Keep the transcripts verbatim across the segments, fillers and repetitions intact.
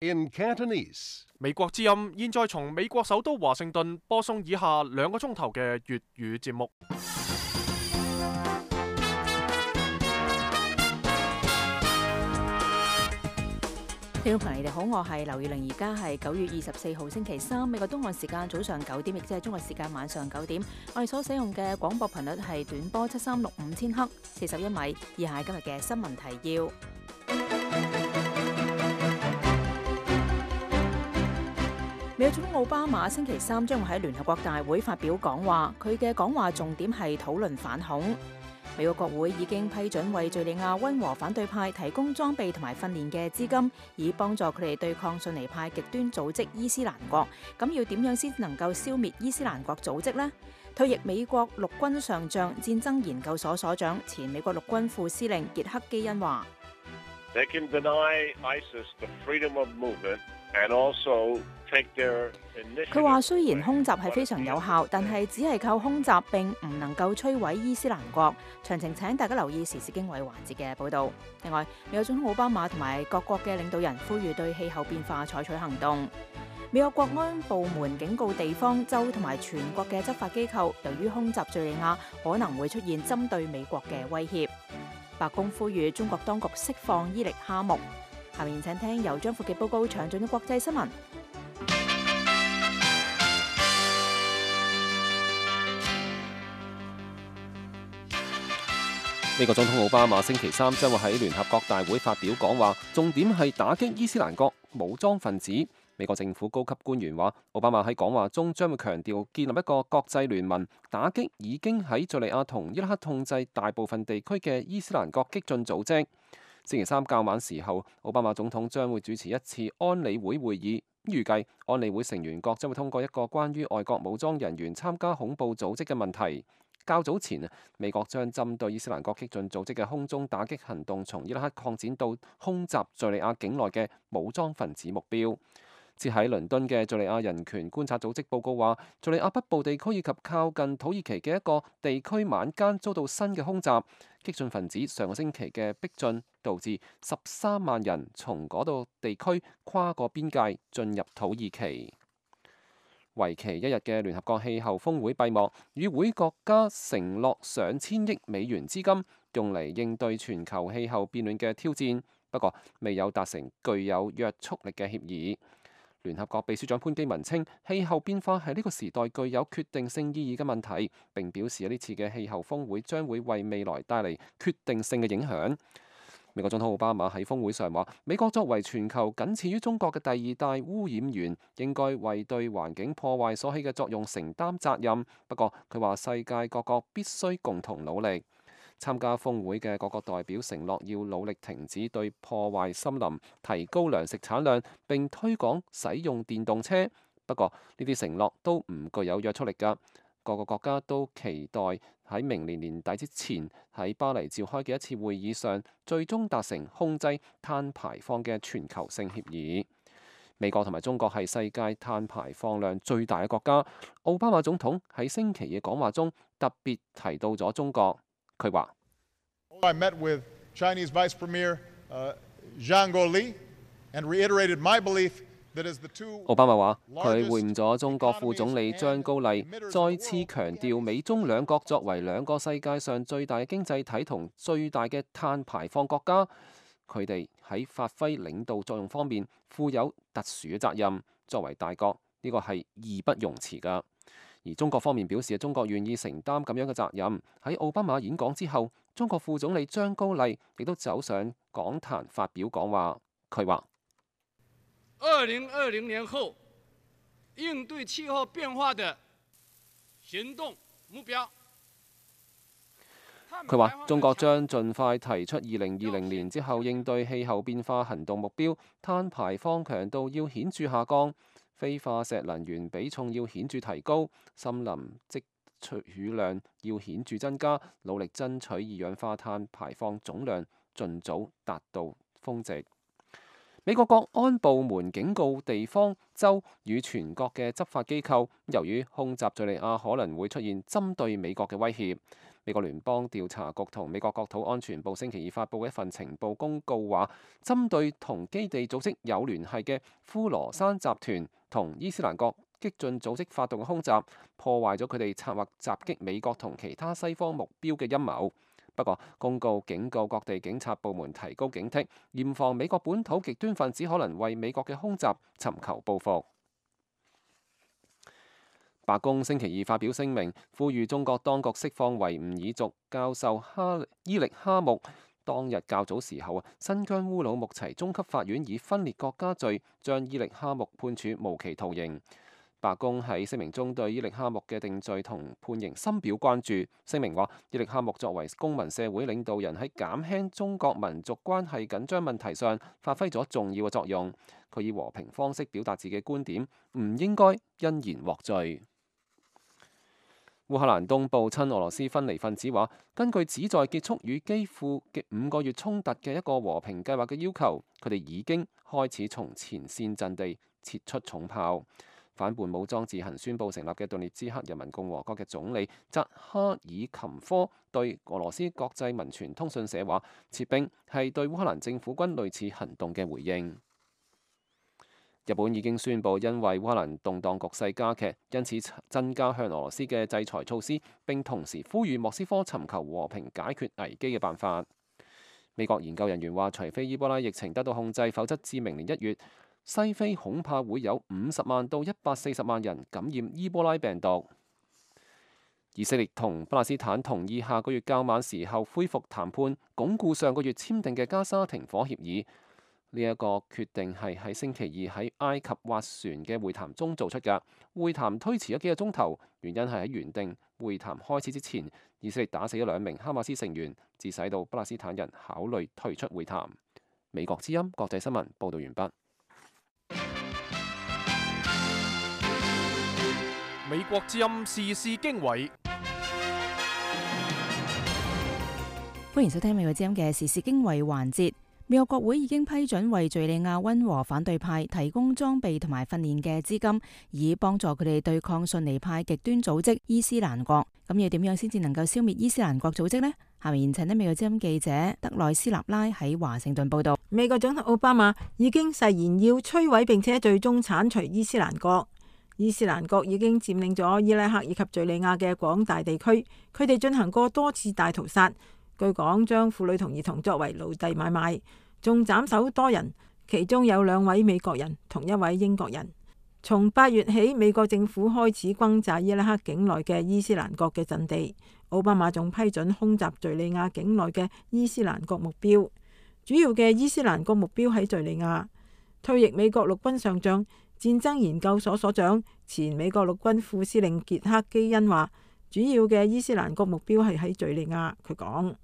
In Cantonese， 美國之音現在從美國首都華盛頓播送以下兩個鐘頭嘅粵語節目。聽眾朋友，你哋好，我係劉月玲，而家係九月二十四號星期三，美國東岸時間早上九點，亦即係中國時間晚上九點。我哋所使用嘅廣播頻率係短波七三六五千赫，四十一米。以下係今日嘅新聞提要。美國總統奧巴馬星期三將會喺聯合國大會發表講話，佢嘅講話重點係討論反恐。美國國會已經批准為敘利亞溫和反對派提供裝備同埋訓練嘅資金，以幫助佢哋對抗遜尼派極端組織伊斯蘭國。咁要點樣先能夠消滅伊斯蘭國組織呢？退役美國陸軍上將、戰爭研究所所長、前美國陸軍副司令傑克基恩話： They can deny ISIS the freedom of movement and also take their initiative。佢話雖然空襲係非常有效，但係只係靠空襲並唔能夠摧毀伊斯蘭國。詳情請大家留意時事經緯環節嘅報導。另外，美國總統奧巴馬同埋各國嘅領導人呼籲對氣候變化採取行動。美國國安部門警告地方州同埋全國嘅執法機構，由於空襲敘利亞可能會出現針對美國嘅威脅。白宮呼籲中國當局釋放伊力哈木。下面請聽由張富傑報告詳盡嘅國際新聞。美國總統奧巴馬星期三將會喺聯合國大會發表講話，重點係打擊伊斯蘭國武裝分子。美國政府高級官員話，奧巴馬喺講話中將會強調建立一個國際聯盟，打擊已經喺敘利亞同伊拉克控制大部分地區嘅伊斯蘭國激進組織。星期三較晚時候，奧巴馬總統將會主持一次安理會會議，預計安理會成員國將會通過一個關於外國武裝人員參加恐怖組織嘅問題。較早前，美國將針對伊斯蘭國激進組織嘅空中打擊行動從伊拉克擴展到空襲敘利亞境內嘅武裝分子目標。設喺倫敦嘅敘利亞人權觀察組織報告話，敘利亞北部地區以及靠近土耳其嘅一個地區晚間遭到新嘅空襲，激進分子上個星期嘅逼進導致十三萬人從嗰度地區跨過邊界進入土耳其。為期一日嘅聯合國氣候峰會閉幕，與會國家承諾上千億美元資金用嚟應對全球氣候變暖嘅挑戰，不過未有達成具有約束力嘅協議。聯合國秘書長潘基文稱，氣候變化係呢個時代具有決定性意義嘅問題，並表示呢次嘅氣候峰會將會為未來帶嚟決定性嘅影響。美國總統奧巴馬喺峰會上話，美國作為全球僅次於中國嘅第二大污染源，應該為對環境破壞所起嘅作用承擔責任。不過佢話世界各國必須共同努力。參加峰會嘅各國代表承諾要努力停止對破壞森林、提高糧食產量並推廣使用電動車。不過呢啲承諾都唔具有約束力㗎。各個國家都期待喺明年年底之前喺巴黎召開嘅一次會議上，最終達成控制碳排放嘅全球性協議。美國同埋中國係世界碳排放量最大嘅國家。奧巴馬總統喺星期嘅講話中特別提到咗中國。佢話： I met with Chinese Vice Premier Zhang Guoli and reiterated my belief that as the two 奧巴馬話佢會晤咗中國副總理張高麗，再次強調美中兩國作為兩個世界上最大嘅經濟體同最大嘅碳排放國家，佢哋喺發揮領導作用方面負有特殊嘅責任。作為大國，呢個係義不容辭㗎。而中國方面表示，中國願意承擔咁樣嘅責任。喺奧巴馬演講之後，中國副總理張高麗亦都走上講壇發表講話。佢話：二零二零年後應對氣候變化的行動目標。佢話中國將盡快提出二零二零年之後應對氣候變化行動目標，碳排放強度要顯著下降，非化石能源比重要顯著提高，森林積取量要顯著增加，努力爭取二氧化碳排放總量盡早達到峰值。美國國安部門警告地方州與全國嘅執法機構，由於空襲敘利亞可能會出現針對美國嘅威脅。美國聯邦調查局同美國國土安全部星期二發布嘅一份情報公告話，針對同基地組織有聯繫嘅呼羅珊集團同伊斯蘭國激進組織發動嘅空襲，破壞咗佢哋策劃襲擊美國同其他西方目標嘅陰謀。不過，公告警告各地警察部門提高警惕，嚴防美國本土極端分子可能為美國嘅空襲尋求報復。白宮星期二發表聲明，呼籲中國當局釋放維吾爾族教授哈伊力哈木。當日較早時候啊，新疆烏魯木齊中級法院以分裂國家罪將伊力哈木判處無期徒刑。白宮喺聲明中對伊力哈木嘅定罪同判刑深表關注。聲明話，伊力哈木作為公民社會領導人，喺減輕中國民族關係緊張問題上發揮咗重要嘅作用。佢以和平方式表達自己觀點，唔應該因言獲罪。烏克蘭東部親俄羅斯分離分子話，根據旨在結束與基輔嘅五個月衝突嘅一個和平計劃嘅要求，佢哋已經開始從前線陣地撤出重炮。反叛武裝自行宣布成立嘅頓涅茨克人民共和國嘅總理扎哈爾琴科對俄羅斯國際文傳通訊社話，撤兵係對烏克蘭政府軍類似行動嘅回應。日本已經宣布，因為烏克蘭動盪局勢加劇，因此增加向俄羅斯嘅制裁措施，並同時呼籲莫斯科尋求和平解決危機嘅辦法。美國研究人員話，除非伊波拉疫情得到控制，否則至明年一月，西非恐怕會有五十萬到一百四十萬人感染伊波拉病毒。以色列同巴勒斯坦同意下個月較晚時候恢復談判，鞏固上個月簽訂嘅加沙停火協議。呢一個決定係喺星期二喺埃及斡旋嘅會談中做出㗎。會談推遲咗幾個鐘頭，原因係喺原定會談開始之前，以色列打死咗兩名哈馬斯成員，致使到巴勒斯坦人考慮退出會談。美國之音國際新聞報導完畢。美國之音時事經緯，歡迎收聽美國之音嘅時事經緯環節。美國國會已經批准為敘利亞溫和反對派提供裝備同埋訓練嘅資金，以幫助佢哋對抗遜尼派極端組織伊斯蘭國。咁要點樣先至能夠消滅伊斯蘭國組織呢？下面請呢美國之音記者德內斯納拉喺華盛頓報道。美國總統奧巴馬已經誓言要摧毀並且最終剷除伊斯蘭國。伊斯蘭國已經佔領咗伊拉克以及敘利亞嘅廣大地區，佢哋進行過多次大屠殺。據講，將婦女同兒童作為奴隸買賣，仲斬首多人，其中有兩位美國人同一位英國人。從八月起，美國政府開始轟炸伊拉克境內嘅伊斯蘭國嘅陣地。奧巴馬仲批准空襲敘利亞境內嘅伊斯蘭國目標。主要嘅伊斯蘭國目標喺敘利亞。退役美國陸軍上將、戰爭研究所所長、前美國陸軍副司令傑克基恩話，主要嘅伊斯蘭國目標係喺敘利亞。佢講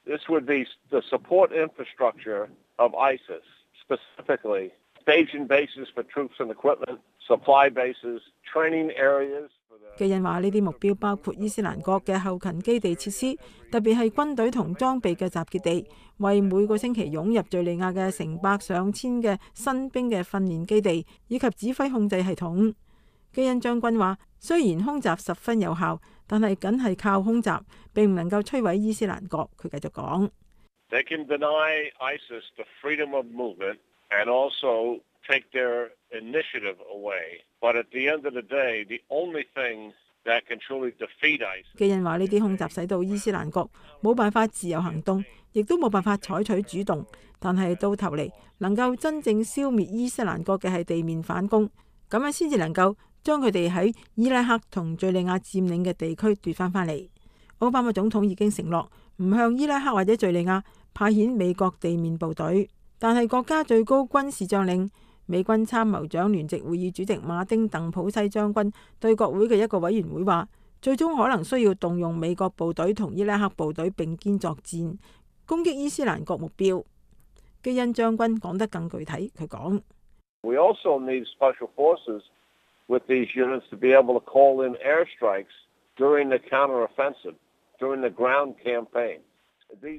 This would be the support infrastructure of ISIS, specifically staging bases for troops and equipment, supply bases, training areas. 基恩話呢啲目標包括伊斯蘭國嘅後勤基地設施，特別係軍隊同裝備嘅集結地，為每個星期湧入敘利亞嘅成百上千嘅新兵嘅訓練基地，以及指揮控制系統。基恩將軍話，雖然空襲十分有效，但係僅係靠空襲，並唔能夠摧毀伊斯蘭國。佢繼續講 They can deny ISIS the freedom of movement and also take their initiative away. But at the end of the day, the only thing that can truly defeat ISIS. 基恩話呢啲空襲使到伊斯蘭國冇辦法自由行動，亦都冇辦法採取主動。但係到頭嚟，能夠真正消滅伊斯蘭國嘅係地面反攻，咁樣先至能夠將佢哋喺伊拉克同敘利亞佔領嘅地區奪翻返嚟。奧巴馬總統已經承諾唔向伊拉克或者敘利亞派遣美國地面部隊，但係國家最高軍事將領、美軍參謀長聯席會議主席馬丁鄧普西將軍對國會嘅一個委員會話，最終可能需要動用美國部隊同伊拉克部隊並肩作戰，攻擊伊斯蘭國目標。基恩將軍講得更具體，佢講 We also need special forces with these units to be able to call in airstrikes during the counteroffensive, during the ground campaign.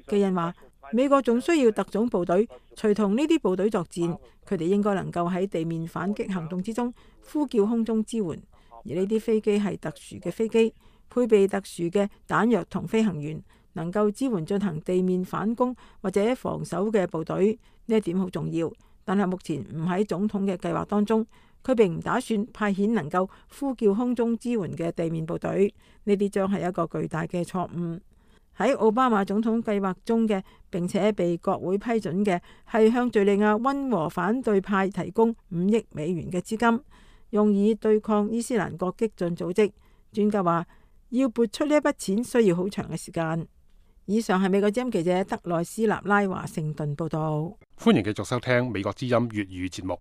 基恩話，美國仲需要特種部隊隨同呢啲部隊作戰，佢哋應該能夠喺地面反擊行動之中呼叫空中支援，而呢啲飛機係特殊嘅飛機，配備特殊嘅彈藥同飛行員，能夠支援進行地面反攻或者防守嘅部隊。呢一點好重要，但係目前唔喺總統嘅計劃當中。佢並唔打算派遣能夠呼叫空中支援嘅地面部隊，呢啲將係一個巨大嘅錯誤。喺奧巴馬總統計劃中嘅，並且被國會批准嘅，係向敘利亞溫和反對派提供五億美元嘅資金，用以對抗伊斯蘭國激進組織。專家話，要撥出呢一筆錢需要好長嘅時間。以上係美國之音記者德內斯納拉華盛頓報道。歡迎繼續收聽美國之音粵語節目。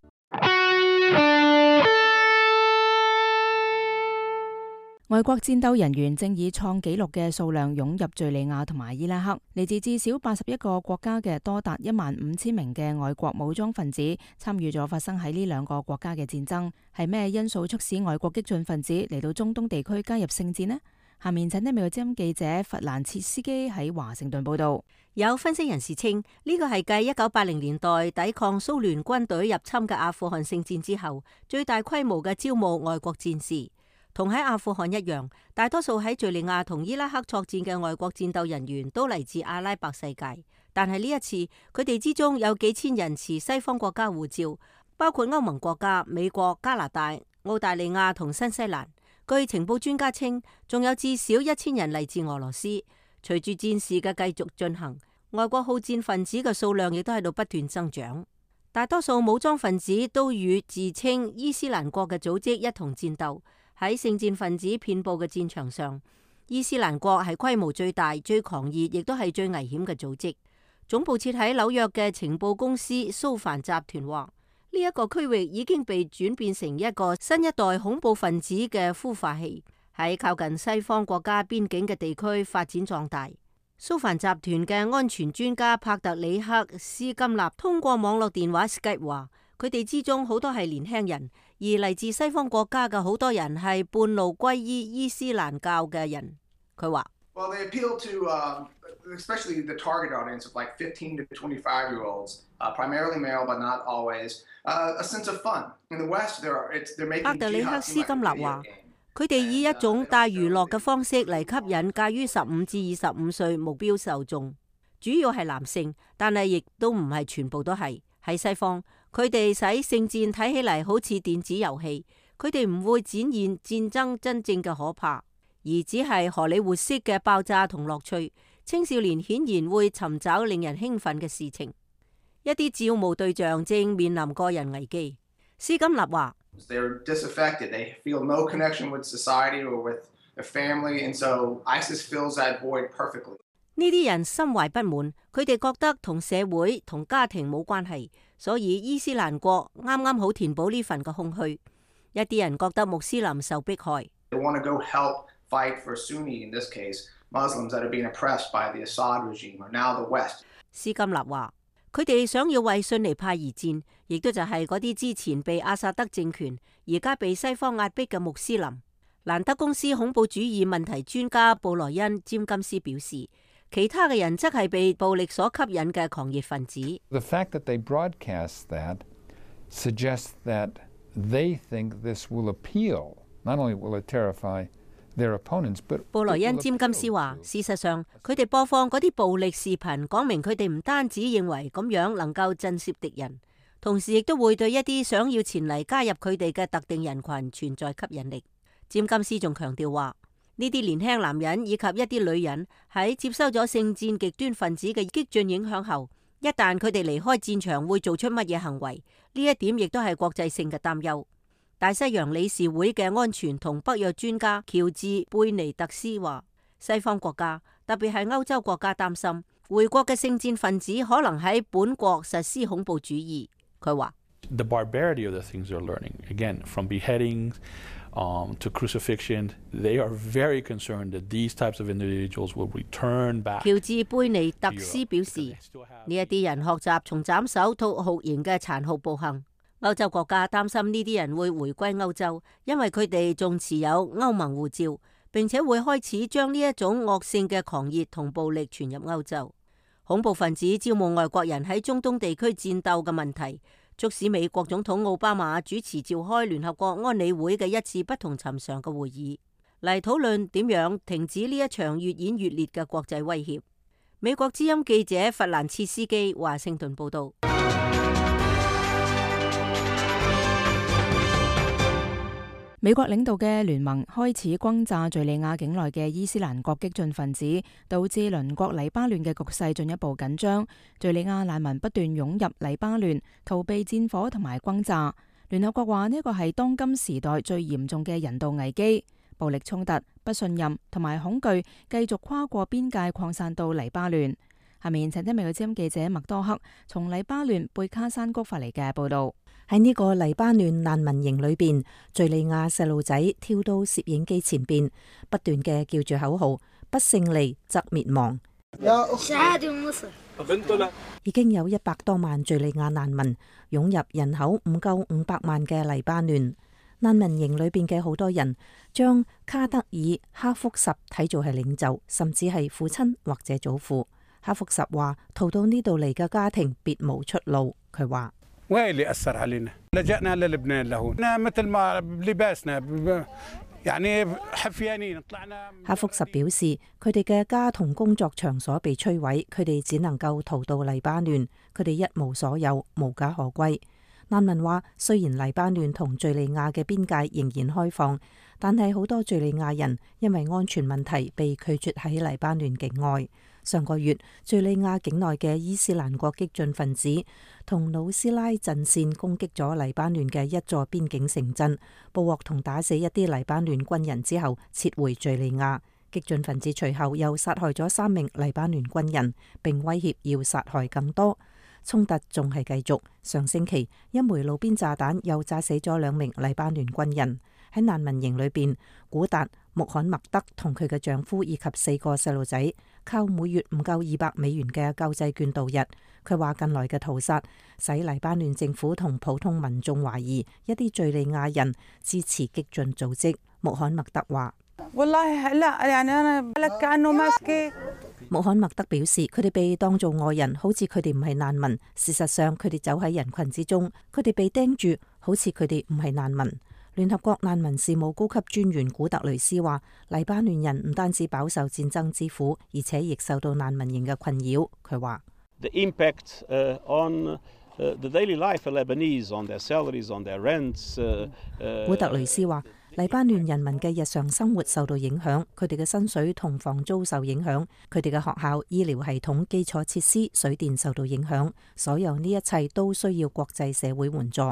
外國戰鬥人員正以創紀錄嘅數量湧入敘利亞同埋伊拉克，嚟自至少八十一個國家嘅多達一萬五千名嘅外國武裝分子參與咗發生喺呢兩個國家嘅戰爭。係咩因素促使外國激進分子嚟到中東地區加入聖戰呢？下面請聽美國之音記者弗蘭切斯基喺華盛頓報道。有分析人士稱，呢個係繼一九八零年代抵抗蘇聯軍隊入侵嘅阿富汗聖戰之後，最大規模嘅招募外國戰士。同喺阿富汗一樣，大多數喺敘利亞同伊拉克作戰嘅外國戰鬥人員都嚟自阿拉伯世界。但係呢一次，佢哋之中有幾千人持西方國家護照，包括歐盟國家、美國、加拿大、澳大利亞同新西蘭。據情報專家稱，仲有至少一千人嚟自俄羅斯。隨住戰事嘅繼續進行，外國好戰分子嘅數量亦都喺度不斷增長。大多數武裝分子都與自稱伊斯蘭國嘅組織一同戰鬥。喺聖戰分子遍佈嘅戰場上，伊斯蘭國係規模最大、最狂熱，亦都係最危險嘅組織。總部設喺紐約嘅情報公司蘇凡集團話，呢一個區域已經被轉變成一個新一代恐怖分子嘅孵化器，喺靠近西方國家邊境嘅地區發展壯大。蘇凡集團嘅安全專家帕特里克斯金納通過網絡電話 Skype 話，佢哋之中好多係年輕人，而嚟自西方國家嘅好多人係半路歸依伊斯蘭教嘅人。佢話：Well, they appeal to, uh, especially the target audience of like fifteen to twenty-five year olds, uh, primarily male, but not always. Uh, a sense of fun. In the West, there are it's they're making. 帕特里克斯金納話：佢哋以一種帶娛樂嘅方式嚟吸引介於十五至二十五歲目標受眾，主要係男性，但係亦都唔係全部都係。喺西方，佢哋使聖戰睇起嚟好似電子遊戲，佢哋唔會展現戰爭真正嘅可怕，而只係荷里活式嘅爆炸同樂趣。青少年顯然會尋找令人興奮嘅事情。一啲招募對象正面臨個人危機。斯金納話：呢啲人心懷不滿，佢哋覺得同社會同家庭冇關係，所以伊斯蘭國啱啱好填補呢份嘅空虛。一啲人覺得穆斯林受迫害。斯金納話：佢哋想要為遜尼派而戰，亦都就係嗰啲之前被阿薩德政權，而家被西方壓迫嘅穆斯林。蘭德公司恐怖主義問題專家布萊恩詹金斯表示，其他嘅人則係被暴力所吸引嘅狂熱分子。The fact that they broadcast that suggests that they think this will appeal. Not only will it terrify their opponents, but 布萊恩詹金斯話，事實上，佢哋播放嗰啲暴力視頻，講明佢哋唔單止認為咁樣能夠震懾敵人，同時亦都會對一啲想要前嚟加入佢哋嘅特定人群存在吸引力。詹金斯仲強調話，呢啲年輕男人以及一啲女人喺接收咗聖戰極端分子嘅激進影響後，一旦佢哋離開戰場會做出乜嘢行為，呢一點亦都係國際性嘅擔憂。大西洋理事會嘅安全同北約專家喬治貝尼特斯話，西方國家特別係歐洲國家擔心回國嘅聖戰分子可能喺本國實施恐怖主義。佢話：The barbarity of the things they're learning, again, from beheadings Um, to crucifixion, they are very concerned that these types of individuals will return back. 喬治貝尼特斯表示，呢一啲人學習從斬首到酷刑嘅殘酷暴行。歐洲國家擔心呢啲人會回歸歐洲，因為佢哋仲持有歐盟護照，並且會開始將呢一種惡性嘅狂熱同暴力傳入歐洲。恐怖分子招募外國人喺中東地區戰鬥嘅問題，促使美國總統奧巴馬主持召開聯合國安理會嘅一次不同尋常嘅會議。嚟討論點樣停止呢一場越演越烈嘅國際威脅。美國之音記者弗蘭茨斯基華盛頓報道。美國領導嘅聯盟開始轟炸敘利亞境內嘅伊斯蘭國激進分子，導致鄰國黎巴嫩嘅局勢進一步緊張。敘利亞難民不斷湧入黎巴嫩，逃避戰火同埋轟炸。聯合國話呢個係當今時代最嚴重嘅人道危機，暴力衝突、不信任同埋恐懼繼續跨過邊界擴散到黎巴嫩。下面請聽美國之音記者麥多克從黎巴嫩貝卡山谷發嚟嘅報道。喺呢個黎巴嫩難民營裏邊，敘利亞細路仔跳到攝影機前邊，不斷嘅叫住口號：不勝利則滅亡。已經有一百多萬敘利亞難民湧入人口唔夠五百萬嘅黎巴嫩。難民營裏邊嘅好多人將卡德爾哈福什睇做係領袖，甚至係父親或者祖父。哈福什話：逃到呢度嚟嘅家庭別無出路。佢話。哈福什表示，佢哋嘅家同工作場所被摧毀，佢哋只能夠逃到黎巴嫩，佢哋一無所有，無家可歸。難民話，雖然黎巴嫩同敘利亞嘅邊界仍然開放，但係好多敘利亞人因為安全問題被拒絕喺黎巴嫩境外。上個月，敘利亞境內嘅伊斯蘭國激進分子同努斯拉陣線攻擊咗黎巴嫩嘅一座邊境城鎮，捕獲同打死一啲黎巴嫩軍人之後，撤回敘利亞。激進分子隨後又殺害咗三名黎巴嫩軍人，並威脅要殺害更多。衝突仲係繼續。上星期，一枚路邊炸彈又炸死咗兩名黎巴嫩軍人。喺難民營裏邊，古達穆罕默德同佢嘅丈夫以及四個細路仔靠每月唔夠二百美元嘅救濟券度日。佢話近來嘅屠殺使黎巴嫩政府同普通民眾懷疑一啲敘利亞人支持激進組織。穆罕默德話：穆罕默德表示，佢哋被當做外人，好似佢哋唔係難民。事實上，佢哋走喺人群之中，佢哋被盯住，好似佢哋唔係難民。聯合國難民事務高級專員古特雷斯話，黎巴嫩人唔單止飽受戰爭之苦，而且亦受到難民營嘅困擾。佢話：The impact on the daily life of Lebanese, on their salaries, on their rents. 古特雷斯話，黎巴嫩人民嘅日常生活受到影響，佢哋嘅薪水同房租受影響，佢哋嘅學校、醫療系統、基礎設施、水電受到影響，所有呢一切都需要國際社會援助。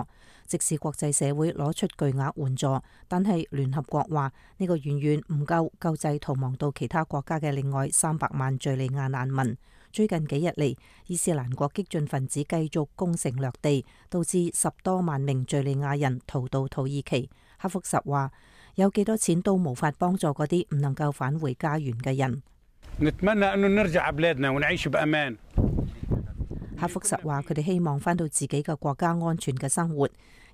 即使國際社會攞出巨額援助，但係聯合國話呢個遠遠唔夠救濟逃亡到其他國家嘅另外三百萬敘利亞難民。最近幾日嚟，伊斯蘭國激進分子繼續攻城略地，導致十多萬名敘利亞人逃到土耳其。哈福什話：有幾多錢都無法幫助嗰啲唔能夠返回家園嘅人。哈福什話：佢哋希望返到自己嘅國家安全嘅生活。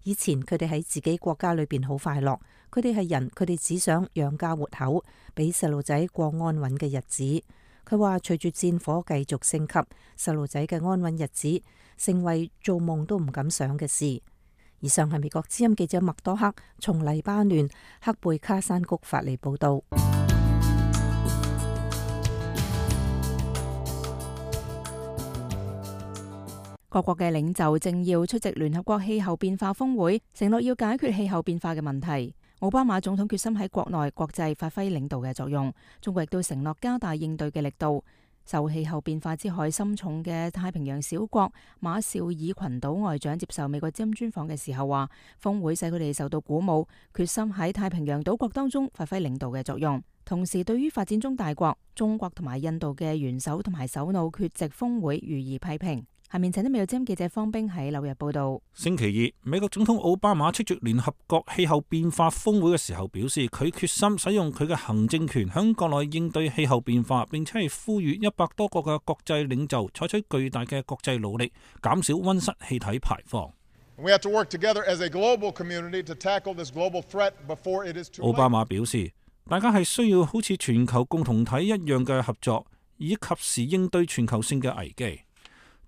以前佢哋喺自己國家裏邊好快樂，佢哋係人，佢哋只想養家活口，俾細路仔過安穩嘅日子。佢話隨住戰火繼續升級，細路仔嘅安穩日子成為做夢都唔敢想嘅事。以上係美國之音記者麥多克從黎巴嫩克貝卡山谷發嚟報道。各國嘅領袖正要出席聯合國氣候變化峰會，承諾要解決氣候變化嘅問題。奧巴馬總統決心喺國內、國際發揮領導嘅作用。中國亦都承諾加大應對嘅力度。受氣候變化之害深重嘅太平洋小國馬紹爾群島外長接受美國之音專訪嘅時候話，峰會使佢哋受到鼓舞，決心喺太平洋島國當中發揮領導嘅作用。同時，對於發展中大國中國同埋印度嘅元首同埋首腦缺席峰會予以批評。下面請啲美國之音記者方冰喺紐約報道。星期二，美國總統奧巴馬出席聯合國氣候變化峰會嘅時候表示，佢決心使用佢嘅行政權響國內應對氣候變化，並且係呼籲一百多個嘅國際領袖採取巨大嘅國際努力，減少溫室氣體排放。We have to work together as a global community to tackle this global threat before it is too late. 奧巴馬表示，大家係需要好似全球共同體一樣嘅合作，以及時應對全球性嘅危機。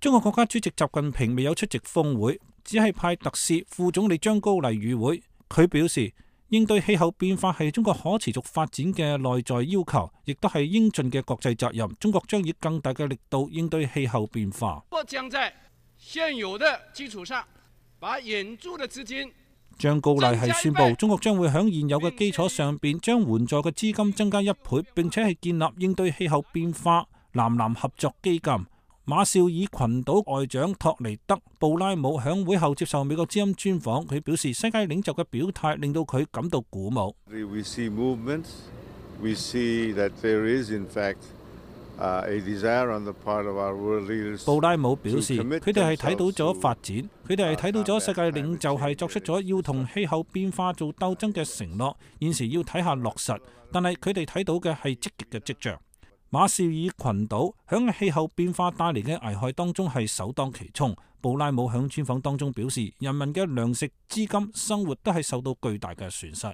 中國國家主席習近平未有出席峰會，只係派特使副總理張高麗與會。佢表示，應對氣候變化係中國可持續發展嘅內在要求，亦都係應盡嘅國際責任。中國將以更大嘅力度應對氣候變化。我將在現有的基礎上，把引注的資金。張高麗係宣布，中國將會喺現有嘅基礎上邊將援助嘅資金增加一倍，並且係建立應對氣候變化南南合作基金。馬紹爾群島外長托尼德·布拉姆響會後接受美國之音專訪，佢表示世界領袖嘅表態令到佢感到鼓舞。We see movements. We see that there is in fact a desire on the part of our world leaders. 布拉姆表示，佢哋係睇到咗發展，佢哋係睇到咗世界領袖係作出咗要同氣候變化做鬥爭嘅承諾，現時要睇下落實，但係佢哋睇到嘅係積極嘅跡象。馬紹爾群島響氣候變化帶嚟嘅危害當中係首當其衝。布拉姆響專訪當中表示，人民嘅糧食、資金、生活都係受到巨大嘅損失。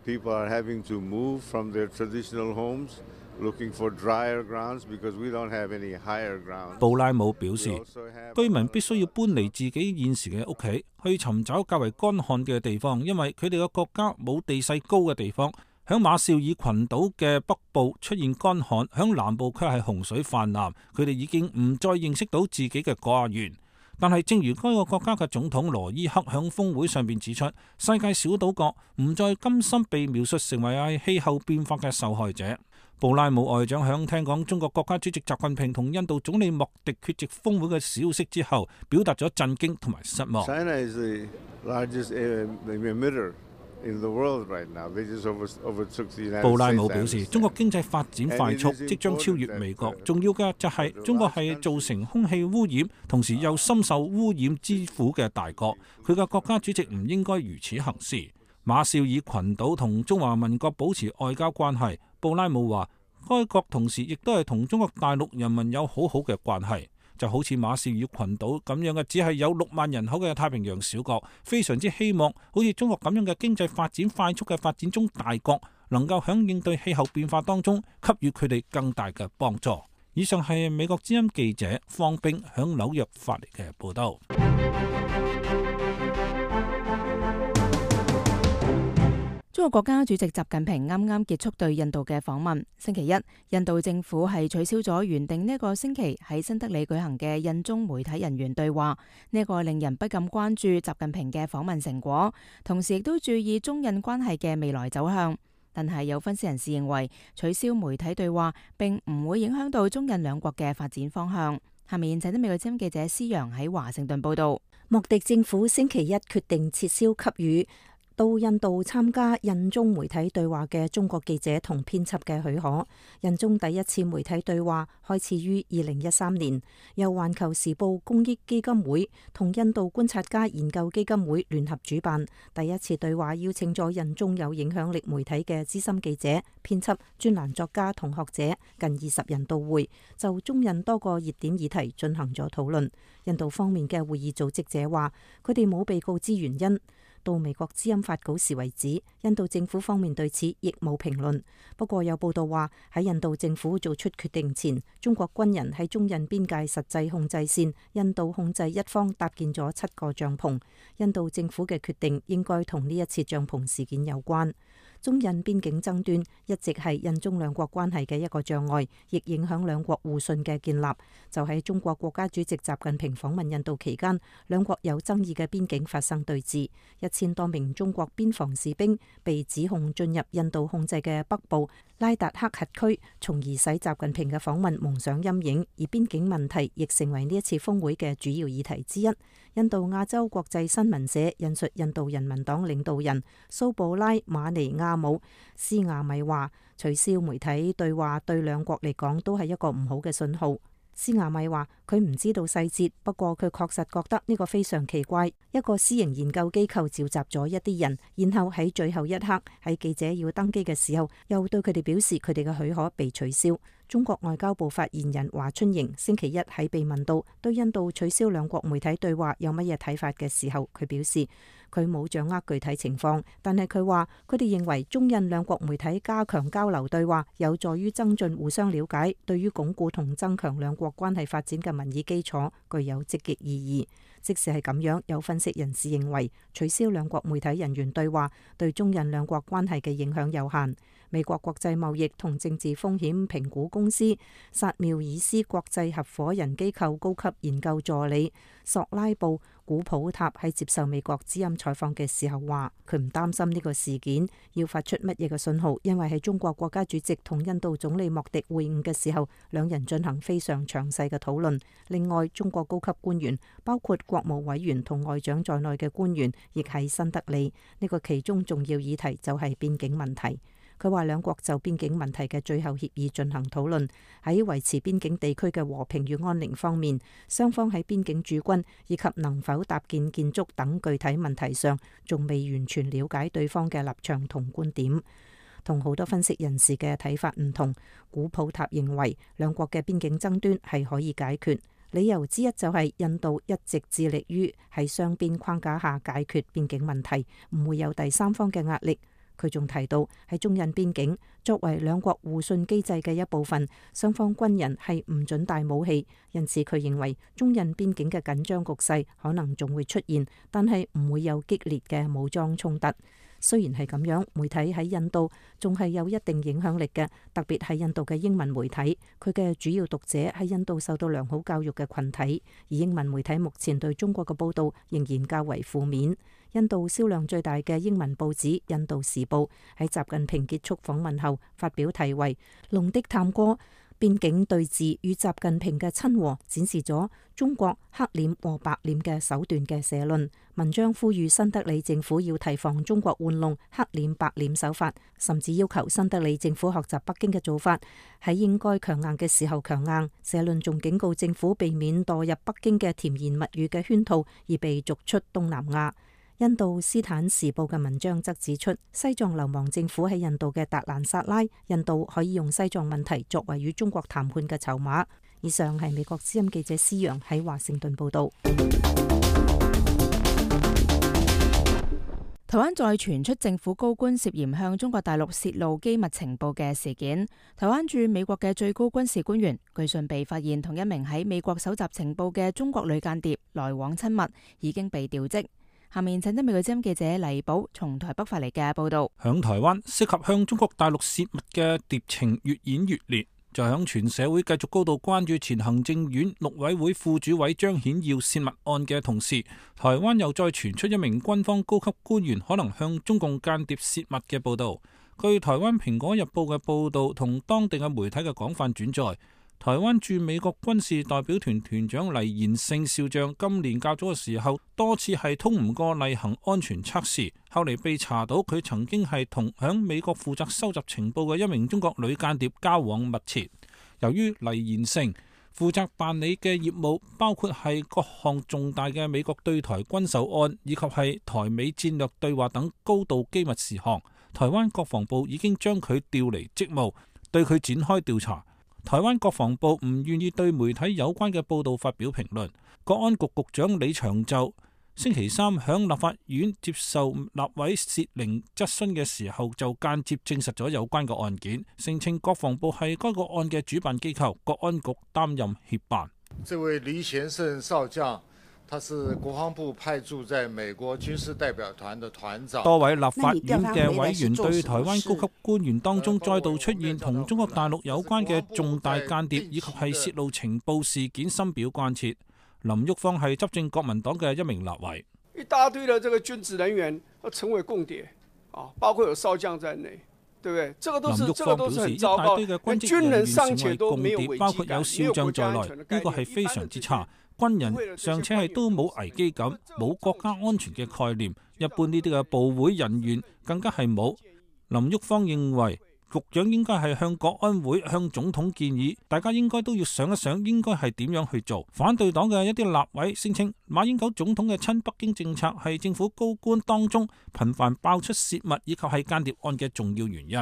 People are having to move from their traditional homes, looking for drier grounds because we don't have any higher grounds. 布拉姆表示，居民必須要搬離自己現時嘅屋企，去尋找較為乾旱嘅地方，因為佢哋嘅國家冇地勢高嘅地方。響馬紹爾群島嘅北部出現乾旱，響南部卻係洪水泛濫，佢哋已經唔再認識到自己嘅家園。但係正如該個國家嘅總統羅伊克響峰會上邊指出，世界小島國唔再甘心被描述成為係氣候變化嘅受害者。布拉姆外長響聽講中國國家主席習近平同印度總理莫迪缺席峰會嘅消息之後，表達咗震驚同埋失望。China is the largest emitter in the world right now. They just overtook the United States. 布拉姆表示，中國經濟發展快速，即將超越美國。重要嘅就係中國係造成空氣污染，同時又深受污染之苦嘅大國。佢嘅國家主席唔應該如此行事。馬紹爾群島同中華民國保持外交關係。布拉姆話，該國同時亦都係同中國大陸人民有好好嘅關係。就好似馬紹爾群島咁樣嘅，只係有六萬人口嘅太平洋小國，非常之希望好似中國咁樣嘅經濟發展快速嘅發展中大國，能夠響應對氣候變化當中給予佢哋更大嘅幫助。以上係美國之音記者方冰響紐約發嚟嘅報道。中國國家主席習近平啱啱結束對印度嘅訪問。星期一，印度政府係取消咗原定呢個星期喺新德里舉行嘅印中媒體人員對話，呢個令人不禁關注習近平嘅訪問成果，同時亦都注意中印關係嘅未來走向。但係有分析人士認為，取消媒體對話並唔會影響到中印兩國嘅發展方向。下面請聽美國之音記者施陽喺華盛頓報道。莫迪政府星期一決定撤銷給予到印度參加印中媒體對話嘅中國記者同編輯嘅許可。印中第一次媒體對話開始於二零一三年，由環球時報公益基金會同印度觀察家研究基金會聯合主辦。第一次對話邀請咗印中有影響力媒體嘅資深記者、編輯、專欄作家同學者近二十人到會，就中印多個熱點議題進行咗討論。印度方面嘅會議組織者話，佢哋冇被告知原因。到美國之音發稿時為止，印度政府方面對此亦冇評論。不過有報道話，喺印度政府做出決定前，中國軍人喺中印邊界實際控制線印度控制一方搭建咗七個帳篷。印度政府嘅決定應該同呢一次帳篷事件有關。中印邊境爭端一直係印中兩國關係嘅一個障礙，亦影響兩國互信嘅建立。就喺中國國家主席習近平訪問印度期間，兩國有爭議嘅邊境發生對峙，一千多名中國邊防士兵被指控進入印度控制嘅北部拉達克轄區，從而使習近平嘅訪問蒙上陰影。而邊境問題亦成為呢一次峰會嘅主要議題之一。印度亞洲國際新聞社引述印度人民黨領導人蘇布拉馬尼亞姆斯亞米話，取消媒體對話對兩國嚟講都係一個唔好嘅信號。斯亞米話佢唔知道細節，不過佢確實覺得呢個非常奇怪。一個私營研究機構召集咗一啲人，然後喺最後一刻喺記者要登機嘅時候，又對佢哋表示佢哋嘅許可被取消。中國外交部發言人華春瑩星期一喺被問到對印度取消兩國媒體對話有乜嘢睇法嘅時候，佢表示佢冇掌握具體情況，但係佢話佢哋認為中印兩國媒體加強交流對話有助於增進互相了解，對於鞏固同增強兩國關係發展嘅民意基礎具有積極意義。即使係咁樣，有分析人士認為取消兩國媒體人員對話對中印兩國關係嘅影響有限。美國國際貿易同政治風險評估公司薩繆爾斯國際合夥人機構高級研究助理索拉布古普塔喺接受美國之音採訪嘅時候話，佢唔擔心呢個事件要發出乜嘢嘅信號，因為喺中國國家主席同印度總理莫迪會晤嘅時候，兩人進行非常詳細嘅討論。另外，中國高級官員包括國務委員同外長在內嘅官員亦喺新德里，呢個其中重要議題就係邊境問題。佢話兩國就邊境問題嘅最後協議進行討論，喺維持邊境地區嘅和平與安寧方面，雙方喺邊境駐軍以及能否搭建建築等具體問題上，仲未完全了解對方嘅立場同觀點。同好多分析人士嘅睇法唔同，古普塔認為兩國嘅邊境爭端係可以解決，理由之一就係印度一直致力於喺雙邊框架下解決邊境問題，唔會有第三方嘅壓力。佢仲提到喺中印邊境作為兩國互信機制嘅一部分，雙方軍人係唔准帶武器，因此佢認為中印邊境嘅緊張局勢可能仲會出現，但係唔會有激烈嘅武裝衝突。雖然係咁樣，媒體喺印度仲係有一定影響力嘅，特別係印度嘅英文媒體，佢嘅主要讀者係印度受到良好教育嘅群體，而英文媒體目前對中國嘅報導仍然較為負面。印度銷量最大嘅英文報紙《印度時報》喺習近平結束訪問後發表題為《龍的探戈：邊境對峙與習近平嘅親和》，展示咗中國黑臉和白臉嘅手段嘅社論。文章呼籲新德里政府要提防中國玩弄黑臉白臉手法，甚至要求新德里政府學習北京嘅做法，喺應該強硬嘅時候強硬。社論仲警告政府避免墮入北京嘅甜言蜜語嘅圈套，而被逐出東南亞。印度斯坦時報嘅文章則指出，西藏流亡政府喺印度嘅達蘭薩拉，印度可以用西藏問題作為與中國談判嘅籌碼。以上係美國之音記者施陽喺華盛頓報道。台灣再傳出政府高官涉嫌向中國大陸泄露機密情報嘅事件。台灣駐美國嘅最高軍事官員據信被發現同一名喺美國搜集情報嘅中國女間諜來往親密，已經被調職。下面請得美國之音記者黎寶從台北發嚟嘅報道。響台灣，適合向中國大陸泄密嘅諜情越演越烈。就響全社會繼續高度關注前行政院陸委會副主委張顯耀泄密案嘅同時，台灣又再傳出一名軍方高級官員可能向中共間諜泄密嘅報道。據台灣蘋果日報嘅報道同當地嘅媒體嘅廣泛轉載，台灣駐美國軍事代表團團長黎賢勝少將今年較早嘅時候多次係通唔過例行安全測試，後嚟被查到佢曾經係同響美國負責收集情報嘅一名中國女間諜交往密切。由於黎賢勝負責辦理嘅業務包括係各項重大嘅美國對台軍售案以及係台美戰略對話等高度機密事項，台灣國防部已經將佢調離職務，對佢展開調查。台灣國防部唔願意對媒體有關嘅報道發表評論。國安局局長李長袖星期三響立法院接受立委薛玲質詢嘅時候，就間接證實咗有關嘅案件，聲稱國防部係該個案嘅主辦機構，國安局擔任協辦。這位黎賢勝少將，他是國防部派駐在美國軍事代表團的團長。多位立法院嘅委員對台灣高級官員當中再度出現同中國大陸有關嘅重大間諜以及係泄露情報事件深表關切。林旭芳係執政國民黨嘅一名立委。一大堆的這個軍職人員成為共諜啊，包括有少將在內，對不對？這個都是，這個都是很糟糕。軍人尚且都沒有危機感，包括有少將在內，呢個係非常之差。軍人尚且係都冇危機感，冇國家安全嘅概念，一般呢啲嘅部會人員更加係冇。林旭芳認為，局長應該係向國安會、向總統建議，大家應該都要想一想，應該係點樣去做。反對黨嘅一啲立委聲稱，馬英九總統嘅親北京政策係政府高官當中頻繁爆出泄密以及係間諜案嘅重要原因。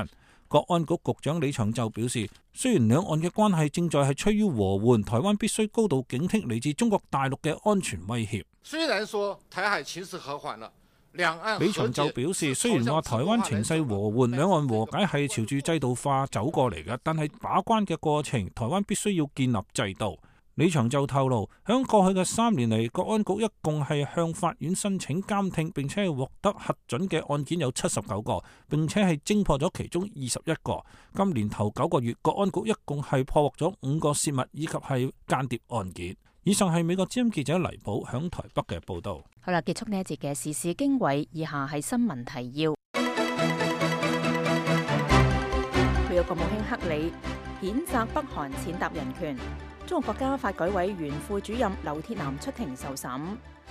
國安局局長李長袖表示，雖然兩岸嘅關係正在係趨於和緩，台灣必須高度警惕嚟自中國大陸嘅安全威脅。雖然說台海情勢和緩了，兩岸李長袖表示，雖然話台灣情勢和緩，兩岸和解係朝住制度化走過嚟嘅，但係把關嘅過程，台灣必須要建立制度。李翔就透露，響過去嘅三年嚟，國安局一共係向法院申請監聽並且係獲得核准嘅案件有七十九個，並且係偵破咗其中二十一個。今年頭九個月，國安局一共係破獲咗五個泄密以及係間諜案件。以上係美國之音記者黎寶響台北嘅報道。好啦，結束呢一節嘅時事經緯，以下係新聞提要。美國國務卿克里譴責北韓踐踏人權。中國國家發改委原副主任劉鐵男出庭受審。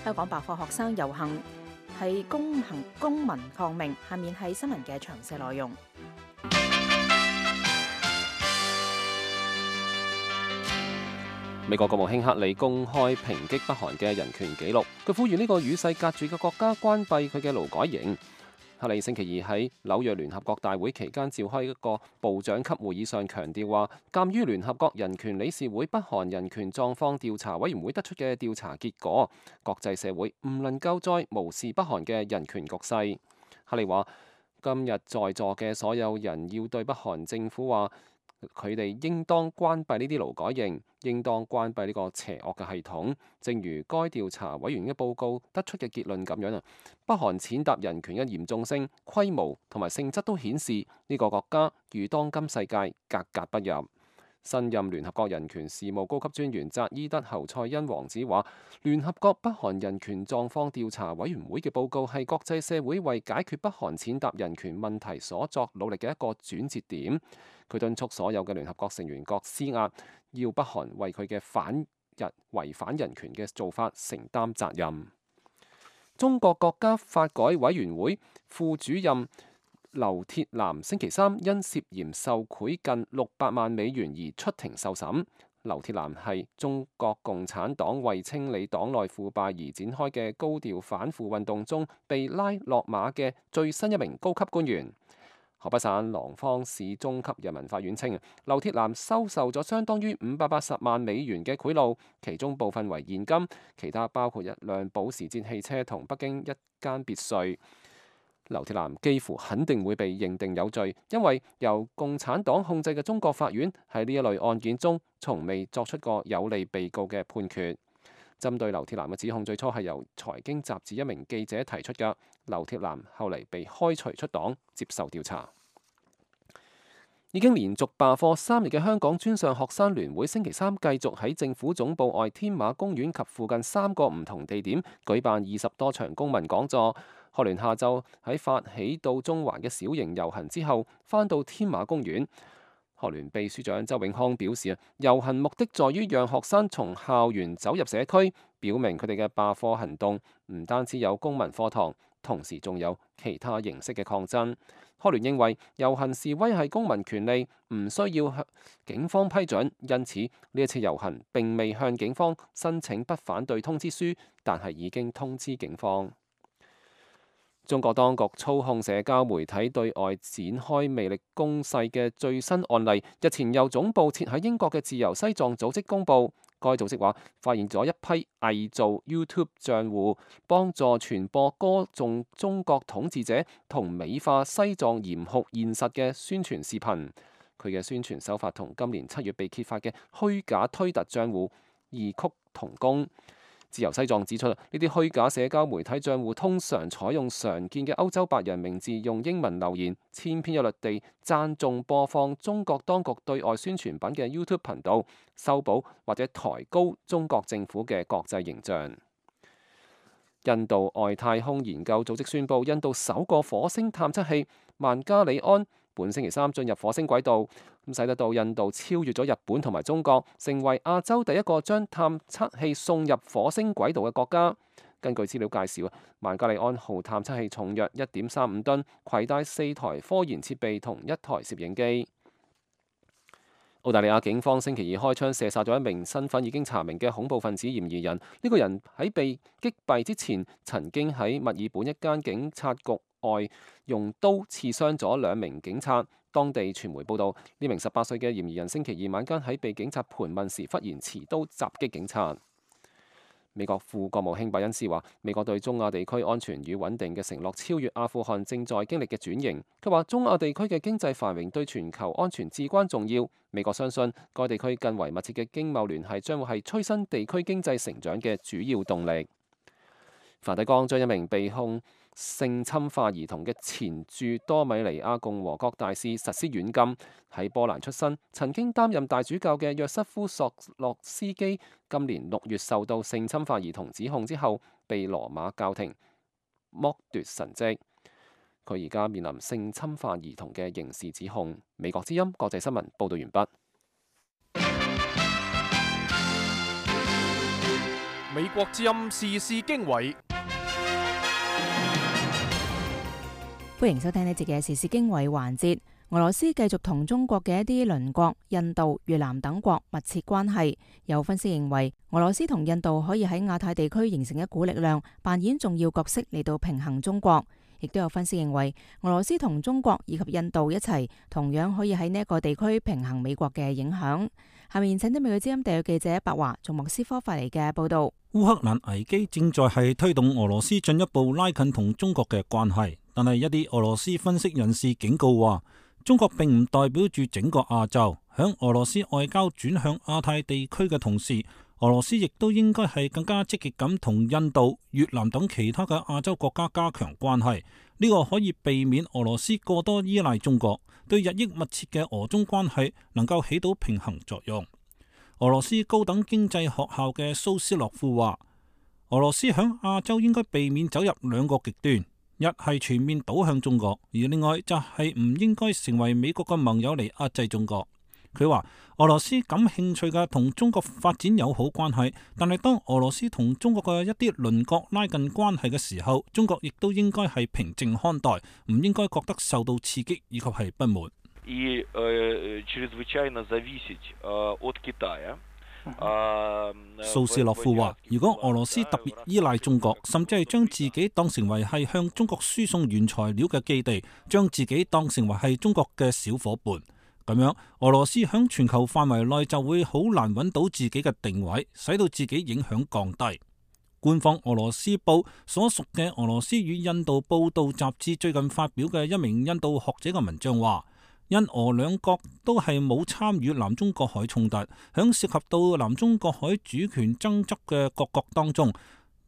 香港罷課學生遊行係公行公民抗命。下面係新聞嘅詳細內容。美國國務卿克里公開抨擊北韓嘅人權紀錄，佢呼籲呢個與世隔絕嘅國家關閉佢嘅勞改營。克里星期二喺紐約聯合國大會期間召開一個部長級會議上強調話，鑑於聯合國人權理事會北韓人權狀況調查委員會得出嘅調查結果，國際社會唔能夠再無視北韓嘅人權局勢。克里話，今日在座嘅所有人要對北韓政府話，佢哋應當關閉呢啲勞改營，應當關閉呢個邪惡嘅系統。正如該調查委員嘅報告得出嘅結論咁樣啊，北韓踐踏人權嘅嚴重性、規模同埋性質都顯示呢個國家與當今世界格格不入。新任聯合國人權事務高級專員扎伊德侯賽因王子話，聯合國北韓人權狀況調查委員會嘅報告係國際社會為解決北韓踐踏人權問題所作努力嘅一個轉折點。佢敦促所有嘅聯合國成員國施壓，要北韓為佢嘅反人違反人權嘅做法承擔責任。中國國家發改委員會副主任劉鐵男星期三因涉嫌受賄近六百萬美元而出庭受審。劉鐵男係中國共產黨為清理黨內腐敗而展開嘅高調反腐運動中被拉落馬嘅最新一名高級官員。河北省廊坊市中級人民法院稱，劉鐵男收受咗相當於五百八十萬美元嘅賄賂，其中部分為現金，其他包括一輛保時捷汽車同北京一間別墅。劉鐵男幾乎肯定會被認定有罪，因為由共產黨控制嘅中國法院喺呢一類案件中，從未作出過有利被告嘅判決。針對劉鐵男嘅指控，最初係由財經雜誌一名記者提出嘅。劉鐵男後嚟被開除出黨，接受調查。已經連續罷課三日嘅香港專上學生聯會星期三繼續喺政府總部外天馬公園及附近三個唔同地點舉辦二十多場公民講座。學聯下晝喺發起到中環嘅小型遊行之後，返到天馬公園。學聯秘書長周永康表示啊，遊行目的在於讓學生從校園走入社區，表明佢哋嘅罷課行動唔單止有公民課堂，同時仲有其他形式嘅抗爭。學聯認為遊行示威係公民權利，唔需要向警方批准，因此呢一次遊行並未向警方申請不反對通知書，但係已經通知警方。中國當局操控社交媒體對外展開魅力攻勢嘅最新案例，日前由總部設喺英國嘅自由西藏組織公佈。該組織話發現咗一批偽造 YouTube 賬戶，幫助傳播歌頌中國統治者同美化西藏嚴酷現實嘅宣傳視頻。佢嘅宣傳手法同今年七月被揭發嘅虛假推特賬戶異曲同工。自由西藏指出，呢啲虛假社交媒體賬戶通常採用常見嘅歐洲白人名字，用英文留言，千篇一律地讚頌播放中國當局對外宣傳品嘅 YouTube 頻道，修補或者抬高中國政府嘅國際形象。印度外太空研究組織宣布，印度首個火星探測器曼加里安本星期三進入火星軌道，咁使得到印度超越咗日本同埋中國，成為亞洲第一個將探測器送入火星軌道嘅國家。根據資料介紹，曼加里安號探測器重約一點三五噸，攜帶四台科研設備同一台攝影機。澳大利亞警方星期二開槍射殺咗一名身份已經查明嘅恐怖分子嫌疑人。呢個人喺被擊斃之前，曾經喺墨爾本一間警察局外用刀刺傷咗兩名警察。當地傳媒報道，呢名十八歲嘅嫌疑人星期二晚間喺被警察盤問時，忽然持刀襲擊警察。美國副國務卿拜恩斯話：美國對中亞地區安全與穩定嘅承諾超越阿富汗正在經歷嘅轉型。佢話：中亞地區嘅經濟繁榮對全球安全至關重要。美國相信該地區更為密切嘅經貿聯繫將會係催生地區經濟成長嘅主要動力。梵蒂岡將一名被控性侵犯兒童嘅前駐多米尼亞共和國大使實施軟禁。喺波蘭出身、曾經擔任大主教嘅約瑟夫索洛斯基，今年六月受到性侵犯兒童指控之後，被羅馬教廷剝奪神職。佢而家面臨性侵犯兒童嘅刑事指控。美國之音國際新聞報道完畢。美國之音時事經緯。歡迎收聽呢節嘅時事經緯環節。俄羅斯繼續同中國嘅一啲鄰國印度、越南等國密切關係。有分析認為，俄羅斯同印度可以喺亞太地區形成一股力量，扮演重要角色嚟到平衡中國。亦都有分析認為，俄羅斯同中國以及印度一齊，同樣可以喺呢一個地區平衡美國嘅影響。下面請聽美國之音特約記者白華從莫斯科發嚟嘅報道。烏克蘭危機正在係推動俄羅斯進一步拉近同中國嘅關係，但係一啲俄羅斯分析人士警告話，中國並唔代表住整個亞洲。響俄羅斯外交轉向亞太地區嘅同時，俄羅斯亦都應該係更加積極咁同印度、越南等其他嘅亞洲國家加強關係。呢個可以避免俄羅斯過多依賴中國，對日益密切嘅俄中關係能夠起到平衡作用。俄羅斯高等經濟學校嘅蘇斯洛夫話，俄羅斯響亞洲應該避免走入兩個極端，一係全面倒向中國，而另外就係唔應該成為美國嘅盟友嚟壓制中國。佢話俄羅斯感興趣嘅同中國發展友好關係，但係當俄羅斯同中國嘅一啲鄰國拉近關係嘅時候，中國亦都應該係平靜看待，唔應該覺得受到刺激以及係不滿。И э, чрезвычайно зависеть э, от Китая。蘇斯洛夫話：如果俄羅斯特別依賴中國，甚至係將自己當成為係向中國輸送原材料嘅基地，將自己當成為係中國嘅小伙伴，咁樣俄羅斯響全球範圍內就會好難揾到自己嘅定位，使到自己影響降低。官方俄羅斯報所屬嘅俄羅斯與印度報道雜誌最近發表嘅一名印度學者嘅文章話，印俄兩國都係冇參與南中國海衝突，響涉及到南中國海主權爭執嘅各國當中，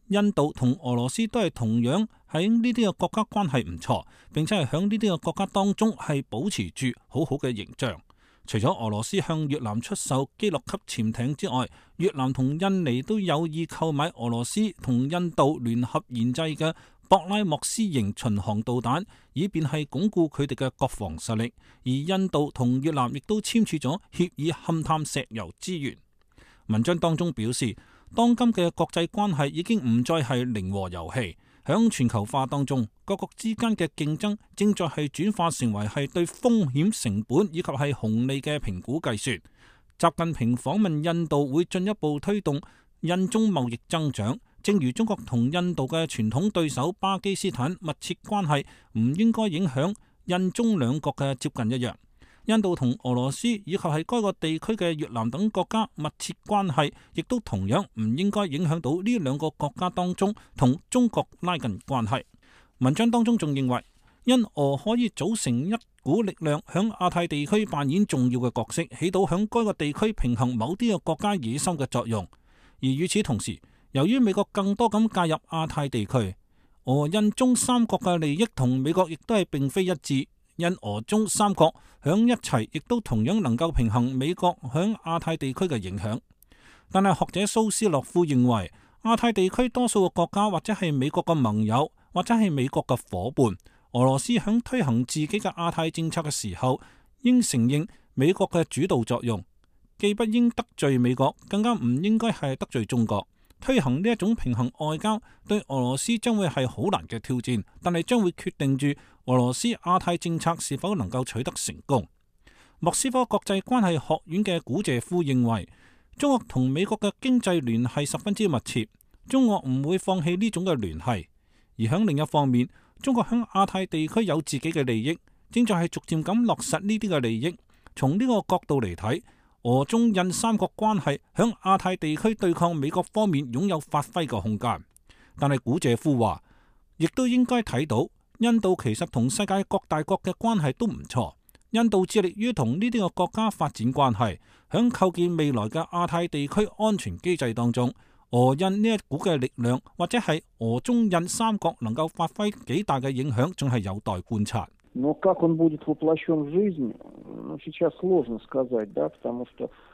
印度同俄羅斯都係同樣喺呢啲嘅國家關係唔錯，並且係響呢啲嘅國家當中係保持住好好嘅形象。除咗俄羅斯向越南出售基洛級潛艇之外，越南同印尼都有意購買俄羅斯同印度聯合研製嘅博拉莫斯型巡航導彈，以便係鞏固佢哋嘅國防實力。而印度同越南亦都簽署咗協議勘探石油資源。文章當中表示，當今嘅國際關係已經唔再係零和遊戲，響全球化當中，各國之間嘅競爭正在係轉化成為係對風險成本以及係紅利嘅評估計算。習近平訪問印度會進一步推動印中貿易增長。正如中國同印度嘅傳統對手巴基斯坦密切關係唔應該影響印中兩國嘅接近一樣，印度同俄羅斯以及係該個地區嘅越南等國家密切關係，亦都同樣唔應該影響到呢兩個國家當中同中國拉近關係。文章當中仲認為，印俄可以組成一股力量，響亞太地區扮演重要嘅角色，起到響該個地區平衡某啲嘅國家野心嘅作用。而與此同時，由於美國更多咁介入亞太地區，俄印中三國嘅利益同美國亦都係並非一致。印俄中三國響一齊，亦都同樣能夠平衡美國響亞太地區嘅影響。但係學者蘇斯洛夫認為，亞太地區多數嘅國家或者係美國嘅盟友，或者係美國嘅夥伴。俄羅斯響推行自己嘅亞太政策嘅時候，應承認美國嘅主導作用，既不應得罪美國，更加唔應該係得罪中國。推行呢一種平衡外交，對俄羅斯將會係好難嘅挑戰，但係將會決定住俄羅斯亞太政策是否能夠取得成功。莫斯科國際關係學院嘅古謝夫認為，中國同美國嘅經濟聯繫十分之密切，中國唔會放棄呢種嘅聯繫。而響另一方面，中國響亞太地區有自己嘅利益，正在係逐漸咁落實呢啲嘅利益。從呢個角度嚟睇，俄中印三國關係響亞太地區對抗美國方面擁有發揮嘅空間。但係古謝夫話，亦都應該睇到印度其實同世界各大國嘅關係都唔錯。印度致力於同呢啲個國家發展關係，響構建未來嘅亞太地區安全機制當中，俄印呢一股嘅力量或者係俄中印三國能夠發揮幾大嘅影響，仲係有待觀察。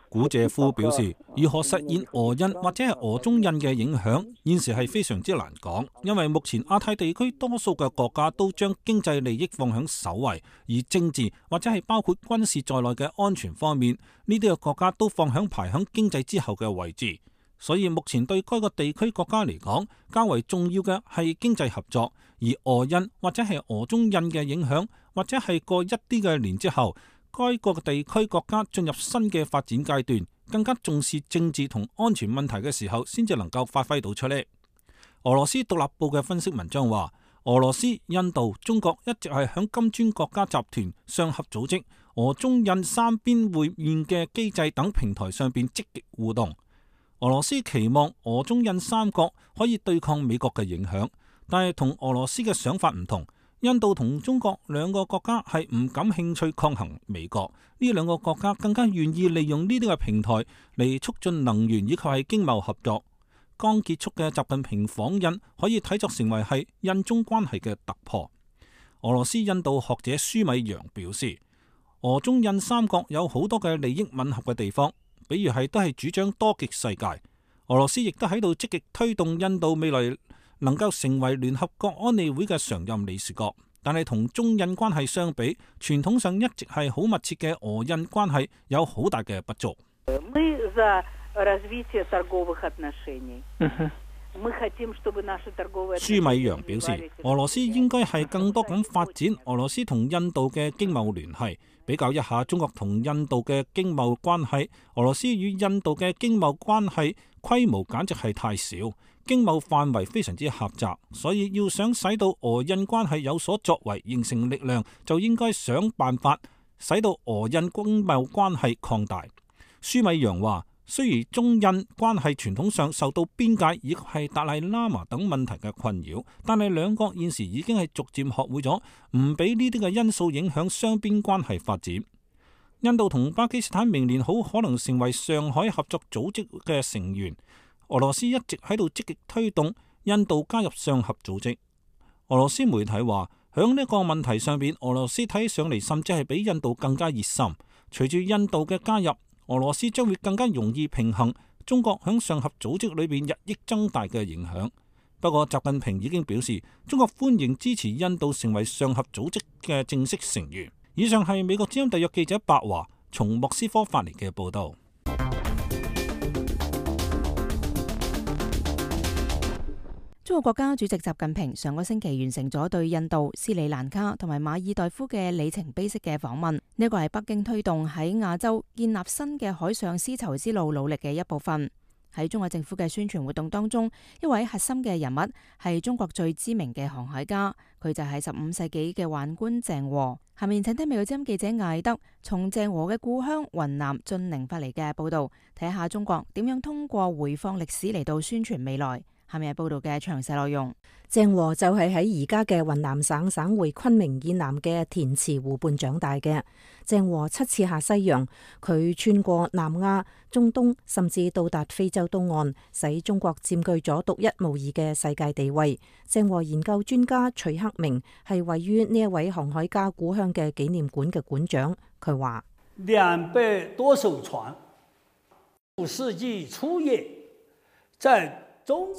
古謝夫表示，如何實現俄印或者係俄中印嘅影響，現時係非常之難講，因為目前亞太地區多數嘅國家都將經濟利益放響首位，而政治或者係包括軍事在內嘅安全方面，呢啲嘅國家都放響排響經濟之後嘅位置。所以目前對該個地區國家嚟講，較為重要嘅係經濟合作，而俄印或者係俄中印嘅影響，或者係過一啲嘅年之後，該個地區國家進入新嘅發展階段，更加重視政治同安全問題嘅時候，先至能夠發揮到出嚟。俄羅斯獨立報嘅分析文章話，俄羅斯、印度、中國一直係響金磚國家集團、上合組織、俄中印三邊會面嘅機制等平台上邊積極互動。俄羅斯期望俄中印三國可以對抗美國嘅影響，但係同俄羅斯嘅想法唔同。印度同中國兩個國家係唔感興趣抗衡美國，呢兩個國家更加願意利用呢啲嘅平台嚟促進能源以及係經貿合作。剛結束嘅習近平訪印可以睇作成為係印中關係嘅突破。俄羅斯印度學者舒米揚表示，俄中印三國有好多嘅利益吻合嘅地方，比如係都係主張多極世界。俄羅斯亦都喺度積極推動印度未來能夠成為聯合國安理會嘅常任理事國，但係同中印關係相比，傳統上一直係好密切嘅俄印關係有好大嘅不足。舒米揚表示，俄羅斯應該係更多咁發展俄羅斯同印度嘅經貿聯繫。比較一下中國同印度嘅經貿關係，俄羅斯與印度嘅經貿關係規模簡直係太少，經貿範圍非常之狹窄，所以要想使到俄印關係有所作為，形成力量，就應該想辦法使到俄印經貿關係擴大。舒米揚話，雖然中印關係傳統上受到邊界以及係達賴喇嘛等問題嘅困擾，但係兩國現時已經係逐漸學會咗唔俾呢啲嘅因素影響雙邊關係發展。印度同巴基斯坦明年好可能成為上海合作組織嘅成員。俄羅斯一直喺度積極推動印度加入上合組織。俄羅斯媒體話，響呢個問題上邊，俄羅斯睇上嚟甚至係比印度更加熱心。隨住印度嘅加入，俄羅斯將會更加容易平衡中國響上合組織裏邊日益增大嘅影響。不過習近平已經表示，中國歡迎支持印度成為上合組織嘅正式成員。以上係美國之音特約記者白華從莫斯科發嚟嘅報道。中國國家主席習近平上個星期完成咗對印度、斯里蘭卡同埋馬爾代夫嘅里程碑式嘅訪問，呢一個係北京推動喺亞洲建立新嘅海上絲綢之路努力嘅一部分。喺中國政府嘅宣傳活動當中，一位核心嘅人物係中國最知名嘅航海家，佢就係十五世紀嘅宦官鄭和。下面請聽美國之音記者艾德從鄭和嘅故鄉雲南晉寧發嚟嘅報道，睇下中國點樣通過回放歷史嚟到宣傳未來。下面係報道嘅詳細內容。鄭和就係喺而家嘅雲南省省會昆明以南嘅滇池湖畔長大嘅。鄭和七次下西洋，佢穿過南亞、中東，甚至到達非洲東岸，使中國佔據咗獨一無二嘅世界地位。鄭和研究專家徐克明係位於呢一位航海家故鄉嘅紀念館嘅館長，佢話：兩百多艘船，五世紀初葉，在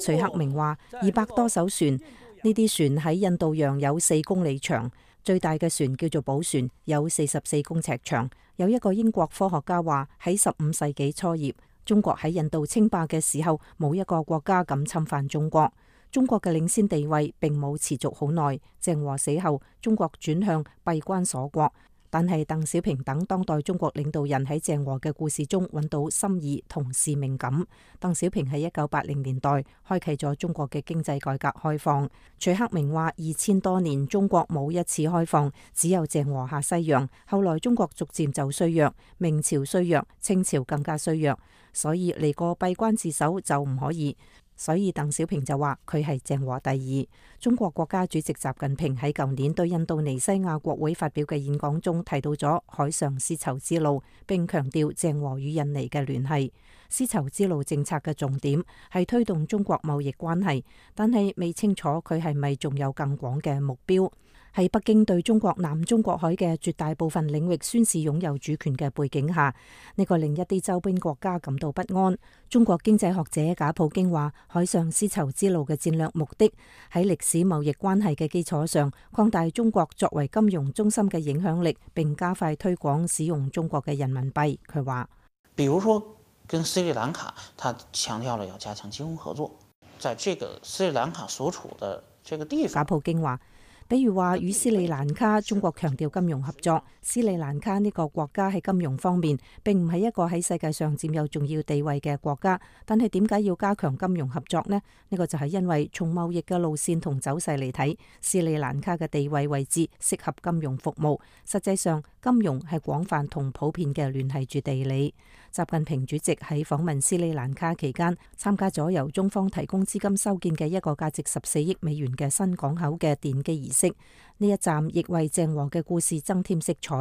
徐克明話：二百多艘船，呢啲船喺印度洋有四公里長，最大嘅船叫做寶船，有四十四公尺長。有一個英國科學家話：喺十五世紀初葉，中國喺印度稱霸嘅時候，冇一個國家敢侵犯中國。中國嘅領先地位並冇持續好耐。鄭和死後，中國轉向閉關鎖國。但係鄧小平等當代中國領導人喺鄭和嘅故事中揾到心意同使命感。鄧小平喺一九八零年代開啟咗中國嘅經濟改革開放。徐克明話：二千多年中國冇一次開放，只有鄭和下西洋。後來中國逐漸就衰弱，明朝衰弱，清朝更加衰弱，所以嚟個閉關自守就唔可以。所以鄧小平就話佢係鄭和第二。中國國家主席習近平喺舊年對印度尼西亞國會發表嘅演講中提到咗海上絲綢之路，並強調鄭和與印尼嘅聯繫。絲綢之路政策嘅重點係推動中國貿易關係，但係未清楚佢係咪仲有更廣嘅目標。喺北京對中國南中國海嘅絕大部分領域宣示擁有主權嘅背景下，呢個令一啲周邊國家感到不安。中國經濟學者賈普京話：海上絲綢之路嘅戰略目的喺歷史貿易關係嘅基礎上，擴大中國作為金融中心嘅影響力，並加快推廣使用中國嘅人民幣。佢話：比如說跟斯里蘭卡，他強調了要加強金融合作，在這個斯里蘭卡所處的這個地方。賈普京話。比如話與斯里蘭卡，中國強調金融合作。斯里蘭卡呢個國家喺金融方面並唔係一個喺世界上佔有重要地位嘅國家，但係點解要加強金融合作呢？呢個就係因為從貿易嘅路線同走勢嚟睇，斯里蘭卡嘅地位位置適合金融服務。實際上，金融係廣泛同普遍嘅聯繫住地理。習近平主席喺訪問斯里蘭卡期間，參加咗由中方提供資金修建嘅一個價值十四億美元嘅新港口嘅奠基儀式。呢一站亦為鄭和嘅故事增添色彩。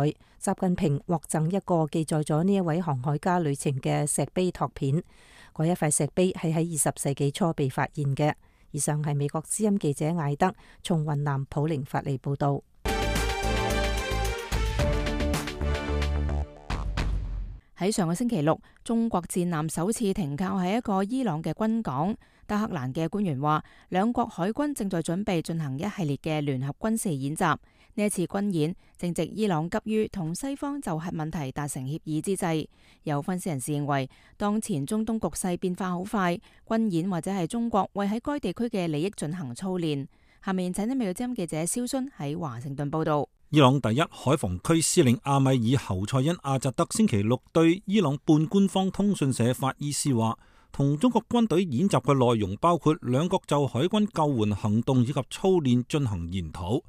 習近平獲贈一個記載咗呢一位航海家旅程嘅石碑拓片，嗰一塊石碑係喺二十世紀初被發現嘅。以上係美國之音記者艾德從雲南普寧發嚟報道。喺上個星期六，中國戰艦首次停靠喺一個伊朗嘅軍港。德黑蘭嘅官員話，兩國海軍正在準備進行一系列嘅聯合軍事演習。呢一次軍演正值伊朗急於同西方就核問題達成協議之際。有分析人士認為，當前中東局勢變化好快，軍演或者係中國為喺該地區嘅利益進行操練。下面請聽美國之音記者蕭순喺華盛頓報道。伊朗第一海防區司令阿米爾侯賽因阿扎德星期六對伊朗半官方通訊社法伊斯話，同中國軍隊演習嘅內容包括兩國就海軍救援行動以及操練進行研討，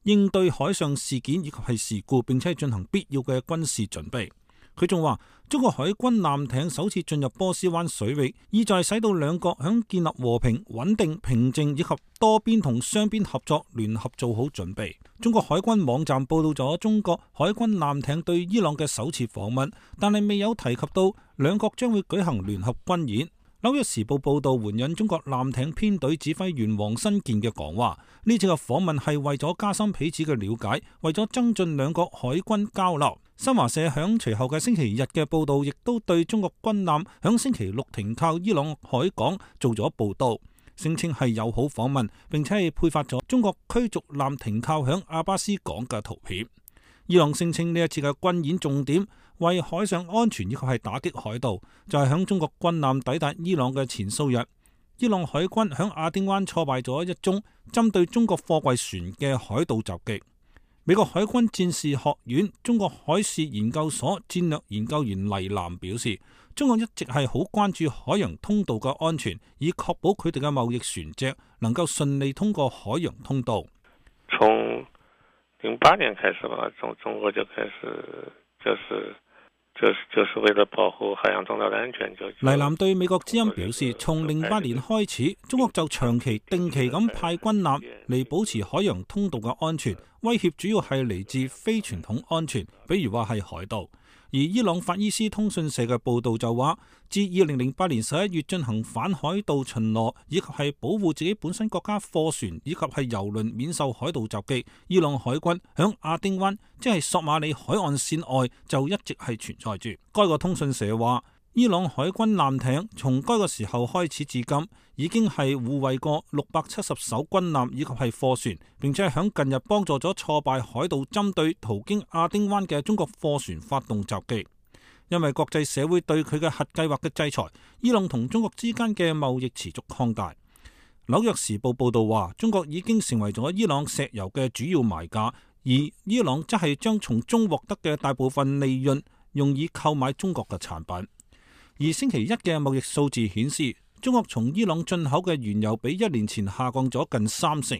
應對海上事件以及係事故，並且進行必要嘅軍事準備。佢仲話，中國海軍艦艇首次進入波斯灣水域，意在使到兩國響建立和平、穩定、平靜以及多邊同雙邊合作聯合做好準備。中國海軍網站報道咗中國海軍艦艇對伊朗嘅首次訪問，但係未有提及到兩國將會舉行聯合軍演。紐約時報報道援引中國艦艇編隊指揮員王新建嘅講話，呢次嘅訪問係為咗加深彼此嘅了解，為咗增進兩國海軍交流。新華社響隨後嘅星期日嘅報道，亦都對中國軍艦響星期六停靠伊朗海港做咗報道，聲稱係友好訪問，並且係配發咗中國驅逐艦停靠響阿巴斯港嘅圖片。伊朗聲稱呢一次嘅軍演重點為海上安全以及係打擊海盜，就係響中國軍艦抵達伊朗嘅前數日，伊朗海軍響亞丁灣挫敗咗一宗針對中國貨櫃船嘅海盜襲擊。美國海軍戰士學院中國海事研究所戰略研究員黎南表示，中國一直係好關注海洋通道嘅安全，以確保佢哋嘅貿易船隻能夠順利通過海洋通道。從零八年開始吧，中中國就開始就是就是就是為了保護海洋通道的安全。就黎南對美國之音表示，從零八年開始，中國就長期定期咁派軍艦嚟保持海洋通道嘅安全，威脅主要係嚟自非傳統安全，比如話係海盜。而伊朗法伊斯通訊社嘅報道就話，自二零零八年十一月進行反海盜巡邏，以及係保護自己本身國家貨船以及係油輪免受海盜襲擊，伊朗海軍響亞丁灣，即係索馬里海岸線外就一直係存在住。該個通訊社話，伊朗海軍艦艇從該個時候開始至今，已經係護衛過六百七十艘軍艦以及係貨船，並且響近日幫助咗挫敗海盜針對途經亞丁灣嘅中國貨船發動襲擊。因為國際社會對佢嘅核計劃嘅制裁，伊朗同中國之間嘅貿易持續擴大。紐約時報報道話，中國已經成為咗伊朗石油嘅主要買家，而伊朗則係將從中獲得嘅大部分利潤用以購買中國嘅產品。而星期一嘅貿易數字顯示，中國從伊朗進口嘅原油比一年前下降咗近三成。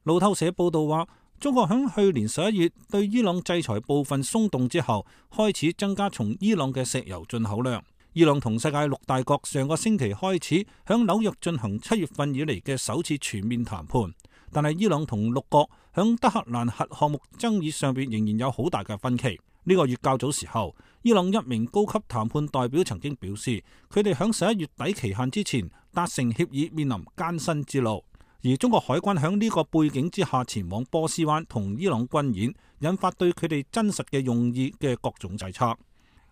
路透社報道話，中國響去年十一月對伊朗制裁部分鬆動之後，開始增加從伊朗嘅石油進口量。伊朗同世界六大國上個星期開始響紐約進行七月份以嚟嘅首次全面談判，但係伊朗同六國響德黑蘭核項目爭議上邊仍然有好大嘅分歧。呢個月較早時候，伊朗一名高級談判代表曾經表示，佢哋響十一月底期限之前達成協議面臨艱辛之路。而中國海軍響呢個背景之下前往波斯灣同伊朗軍演，引發對佢哋真實嘅用意嘅各種猜測。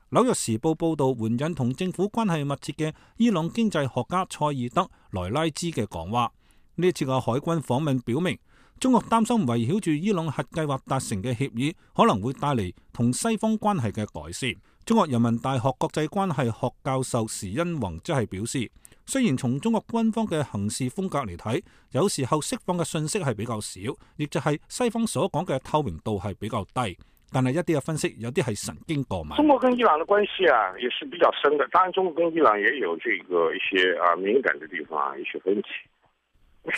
紐約時報報道援引同政府關係密切嘅伊朗經濟學家塞爾德萊拉茲嘅講話，呢次嘅海軍訪問表明，中國擔心圍繞住伊朗核計劃達成嘅協議可能會帶嚟同西方關係嘅改善。中國人民大學國際關係學教授時殷弘即係表示，雖然從中國軍方嘅行事風格嚟睇，有時候釋放嘅信息係比較少，亦就係西方所講嘅透明度係比較低。但係一啲嘅分析，有啲係神經過敏。中國跟伊朗嘅關係啊，也是比較深的。當然，中國跟伊朗也有這個一些啊敏感的地方，一些分歧。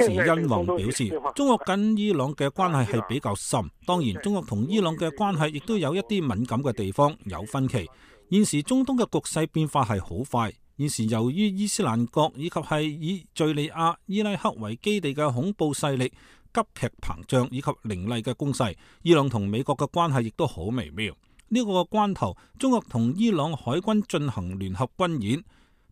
時殷弘表示，中國跟伊朗嘅關係係比較深，當然中國同伊朗嘅關係亦都有一啲敏感嘅地方，有分歧。現時中東嘅局勢變化係好快，現時由於伊斯蘭國以及係以敘利亞、伊拉克為基地嘅恐怖勢力急劇膨脹以及凌厲嘅攻勢，伊朗同美國嘅關係亦都好微妙。呢、這個關頭，中國同伊朗海軍進行聯合軍演。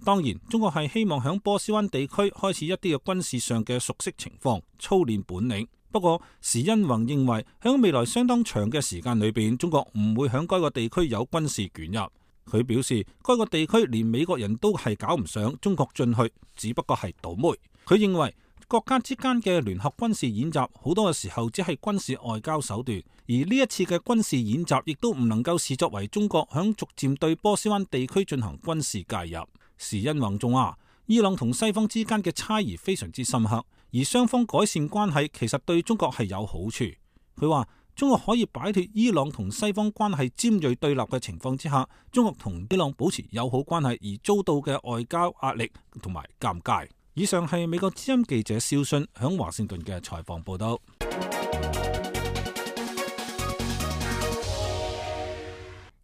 當然，中國係希望響波斯灣地區開始一啲嘅軍事上嘅熟悉情況，操練本領。不過，時殷弘認為響未來相當長嘅時間裏邊，中國唔會響該個地區有軍事捲入。佢表示，該個地區連美國人都係搞唔上，中國進去只不過係倒霉。佢認為國家之間嘅聯合軍事演習好多嘅時候只係軍事外交手段，而呢一次嘅軍事演習亦都唔能夠視作為中國響逐漸對波斯灣地區進行軍事介入。時殷弘仲話，伊朗同西方之間嘅差異非常之深刻，而雙方改善關係其實對中國係有好處。佢話中國可以擺脫伊朗同西方關係尖銳對立嘅情況之下，中國同伊朗保持友好關係而遭到嘅外交壓力同埋尷尬。以上係美國之音記者肖遜響華盛頓嘅採訪報道。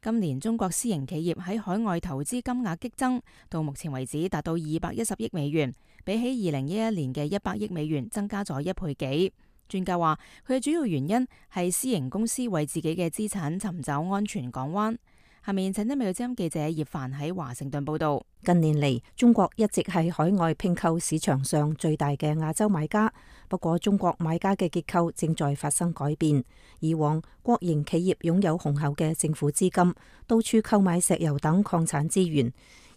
今年中國私營企業喺海外投資金額激增，到目前為止達到二百一十億美元，比起二零一一年嘅一百億美元增加咗一倍幾。專家話，佢嘅主要原因係私營公司為自己嘅資產尋找安全港灣。下面請聽美國之音記者葉凡喺華盛頓報道。近年嚟，中國一直係海外併購市場上最大嘅亞洲買家。不過，中國買家嘅結構正在發生改變。以往，國營企業擁有雄厚嘅政府資金，到處購買石油等礦產資源。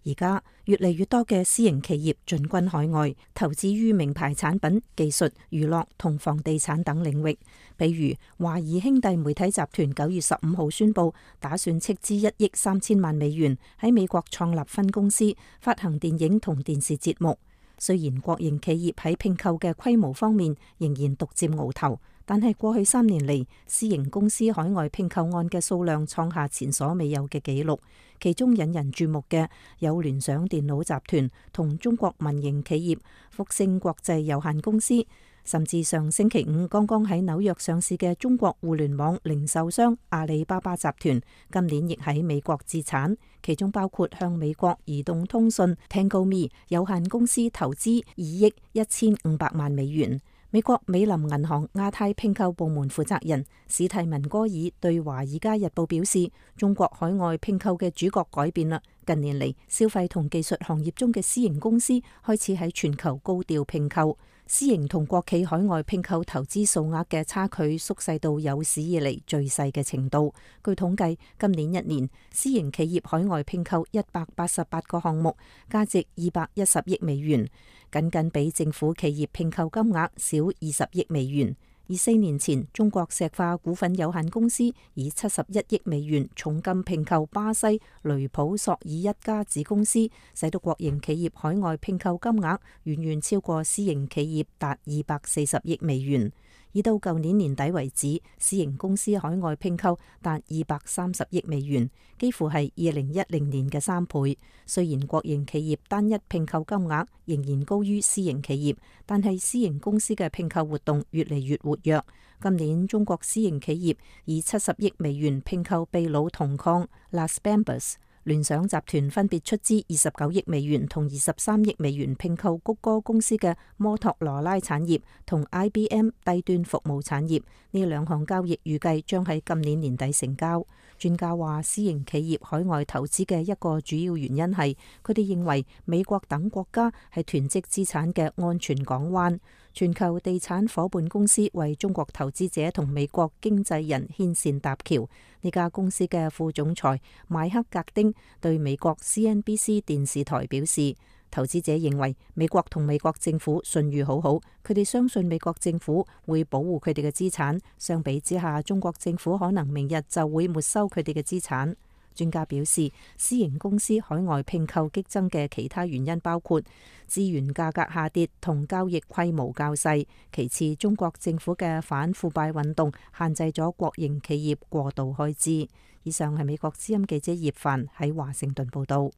而家越嚟越多嘅私營企業進軍海外，投資於名牌產品、技術、娛樂同房地產等領域。比如華誼兄弟媒體集團九月十五號宣布，打算斥資一億三千萬美元喺美國創立分公司，發行電影同電視節目。雖然國營企業喺併購嘅規模方面仍然獨佔鰲頭，但係過去三年嚟，私營公司海外併購案嘅數量創下前所未有嘅紀錄。其中引人注目嘅有聯想電腦集團同中國民營企業福星國際有限公司，甚至上星期五剛剛喺紐約上市嘅中國互聯網零售商阿里巴巴集團，今年亦喺美國置產，其中包括向美國移動通訊 TangoMe 有限公司投資二億一千五百萬美元。美國美林銀行亞太併購部門負責人史蒂文戈爾對《華爾街日報》表示，中國海外併購嘅主角改變啦。近年嚟，消費同技術行業中嘅私營公司開始喺全球高調併購，私營同國企海外併購投資數額嘅差距縮細到有史以嚟最細嘅程度。據統計，今年一年私營企業海外併購一百八十八個項目，價值二百一十億美元，僅僅比政府企業併購金額少二十億美元。而四年前，中國石化股份有限公司以七十一億美元重金併購巴西雷普索爾一家子公司，使到國營企業海外併購金額遠遠超過私營企業，達二百四十億美元。而到舊年年底為止，私營公司海外併購達二百三十億美元，幾乎係二零一零年嘅三倍。雖然國營企業單一併購金額仍然高於私營企業，但係私營公司嘅併購活動越嚟越活躍。今年中國私營企業以七十億美元併購秘魯銅礦 Las Bambas。聯想集團分別出資二十九億美元同二十三億美元併購谷歌公司嘅摩托羅拉產業同 I B M 低端服務產業，呢兩項交易預計將喺今年年底成交。專家話，私營企業海外投資嘅一個主要原因係佢哋認為美國等國家係囤積資產嘅安全港灣。全球地產夥伴公司為中國投資者同美國經濟人牽線搭橋。呢家公司嘅副總裁邁克格丁對美國 C N B C 電視台表示，投資者認為美國同美國政府信譽好好，佢哋相信美國政府會保護佢哋嘅資產。相比之下，中國政府可能明日就會沒收佢哋嘅資產。專家表示，私營公司海外併購激增嘅其他原因包括資源價格下跌同交易規模較細，其次中國政府嘅反腐敗運動限制咗國營企業過度開支。以上係美國之音記者葉凡喺華盛頓報道。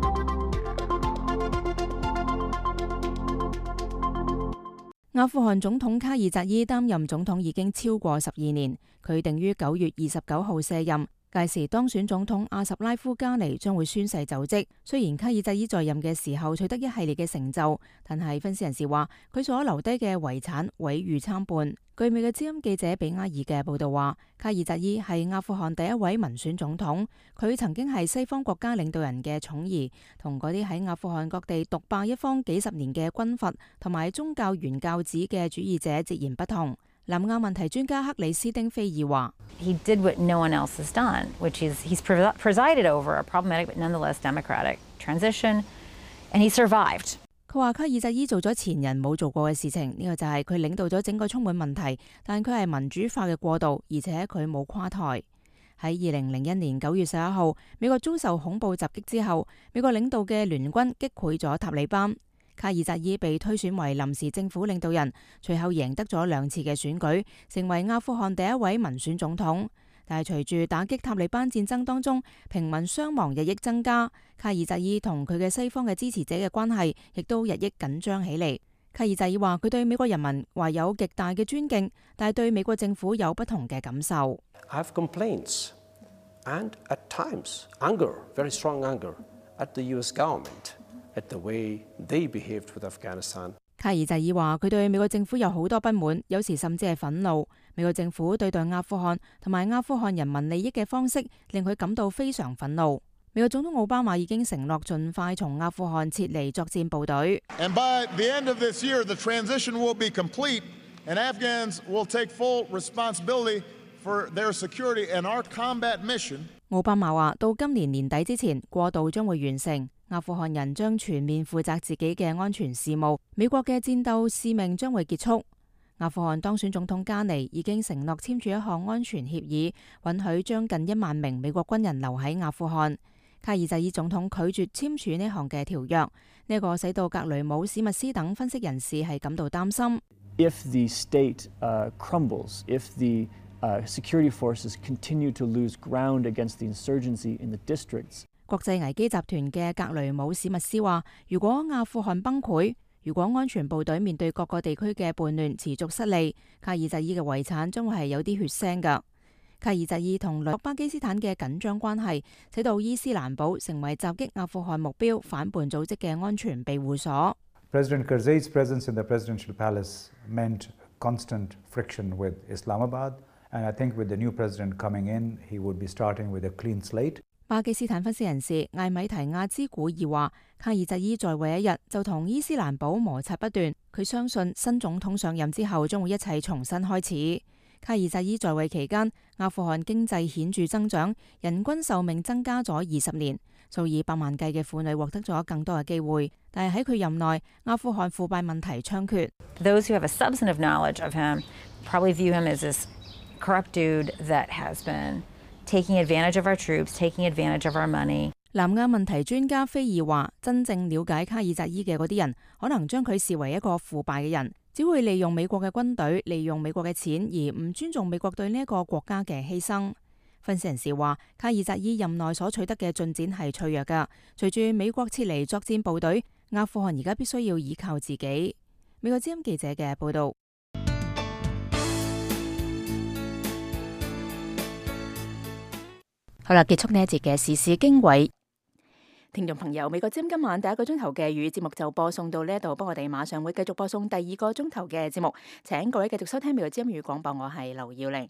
阿富汗總統卡爾扎伊擔任總統已經超過十二年，佢定於九月二十九號卸任。屆時當選總統阿什拉夫加尼將會宣誓就職。雖然卡爾扎伊在任嘅時候取得一系列嘅成就，但係分析人士話佢所留低嘅遺產毀譽參半。據美嘅知音記者比埃爾嘅報道話，卡爾扎伊係阿富汗第一位民選總統，佢曾經係西方國家領導人嘅寵兒，同嗰啲喺阿富汗各地獨霸一方幾十年嘅軍閥同埋宗教原教旨嘅主義者截然不同。南亞問題專家克里斯丁菲爾話 He did what no one else has done, which is he's presided over a problematic but nonetheless democratic transition, and he survived. 佢話卡爾扎伊做咗前人冇做過嘅事情，呢個就係佢領導咗整個充滿問題，但佢係民主化嘅過渡，而且佢冇垮台。喺二零零一年九月十一號，美國遭受恐怖襲擊之後，美國領導嘅聯軍擊潰咗塔利班。卡爾扎伊被推選為臨時政府領導人，隨後贏得咗兩次嘅選舉，成為阿富汗第一位民選總統。但係隨住打擊塔利班戰爭當中平民傷亡日益增加，卡爾扎伊同佢嘅西方嘅支持者嘅關係亦都日益緊張起嚟。卡爾扎伊話佢對美國人民懷有極大嘅尊敬，但係對美國政府有不同嘅感受。I have complaints and at times anger, very strong anger at the U S government.At the way they behaved with Afghanistan. 卡爾扎伊話佢對美國政府有好多不滿，有時甚至係憤怒。美國政府對待阿富汗同埋阿富汗人民利益嘅方式令佢感到非常憤怒。美國總統奧巴馬已經承諾盡快從阿富汗撤離作戰部隊。And by the end of this year, the transition will be complete, and Afghans will take full responsibility for their security and our combat mission. 奧巴馬話到今年年底之前，過渡將會完成。阿富汗人將全面負責自己嘅安全事務，美國嘅戰鬥使命將會結束。阿富汗當選總統加尼已經承諾簽署一項安全協議，允許將近一萬名美國軍人留喺阿富汗。卡爾扎伊總統拒絕簽署呢項嘅條約，呢、這個使到格雷姆史密斯等分析人士係感到擔心。If the state, uh, crumbles, if the uh, security forces continue to lose ground against the insurgency in the districts,國際危機集團嘅格雷姆史密斯話，如果阿富汗崩潰，如果安全部隊面對各個地區嘅叛亂持續失利，卡爾扎伊嘅遺產將會係有啲血腥㗎。卡爾扎伊同鄰國巴基斯坦嘅緊張關係，使到伊斯蘭堡成為襲擊阿富汗目標反叛組織嘅安全庇護所。President Karzai's presence in the presidential palace meant constant friction with Islamabad, and I think with the new president coming in, he would be starting with a clean slate.巴基斯坦分析人士艾米提亞茲古爾話，卡爾扎伊在位一日就同伊斯蘭堡摩擦不斷，佢相信新總統上任之後將會一切重新開始。卡爾扎伊在位期間，阿富汗經濟顯著增長，人均壽命增加咗二十年，數以百萬計嘅婦女獲得咗更多嘅機會。但係喺佢任內，阿富汗腐敗問題猖獗。Those who have a substantive knowledge of him probably view him as this corrupt dude that has been taking advantage of our troops, taking advantage of our money. 南亞問題專家菲爾話，真正了解卡爾扎伊嘅嗰啲人，可能將佢視為一個腐敗嘅人，只會利用美國嘅軍隊、利用美國嘅錢，而唔尊重美國對呢一個國家嘅犧牲。分析人士話，卡爾扎伊任內所取得嘅進展係脆弱㗎。隨住美國撤離作戰部隊，阿富汗而家必須要依靠自己。美國之音記者嘅報道。好啦，結束呢一節嘅時事經緯。聽眾朋友，美國之音今晚第一個鐘頭嘅粵語節目就播送到呢一度，不過我哋馬上會繼續播送第二個鐘頭嘅節目，請各位繼續收聽美國之音粵語廣播，我係劉耀玲。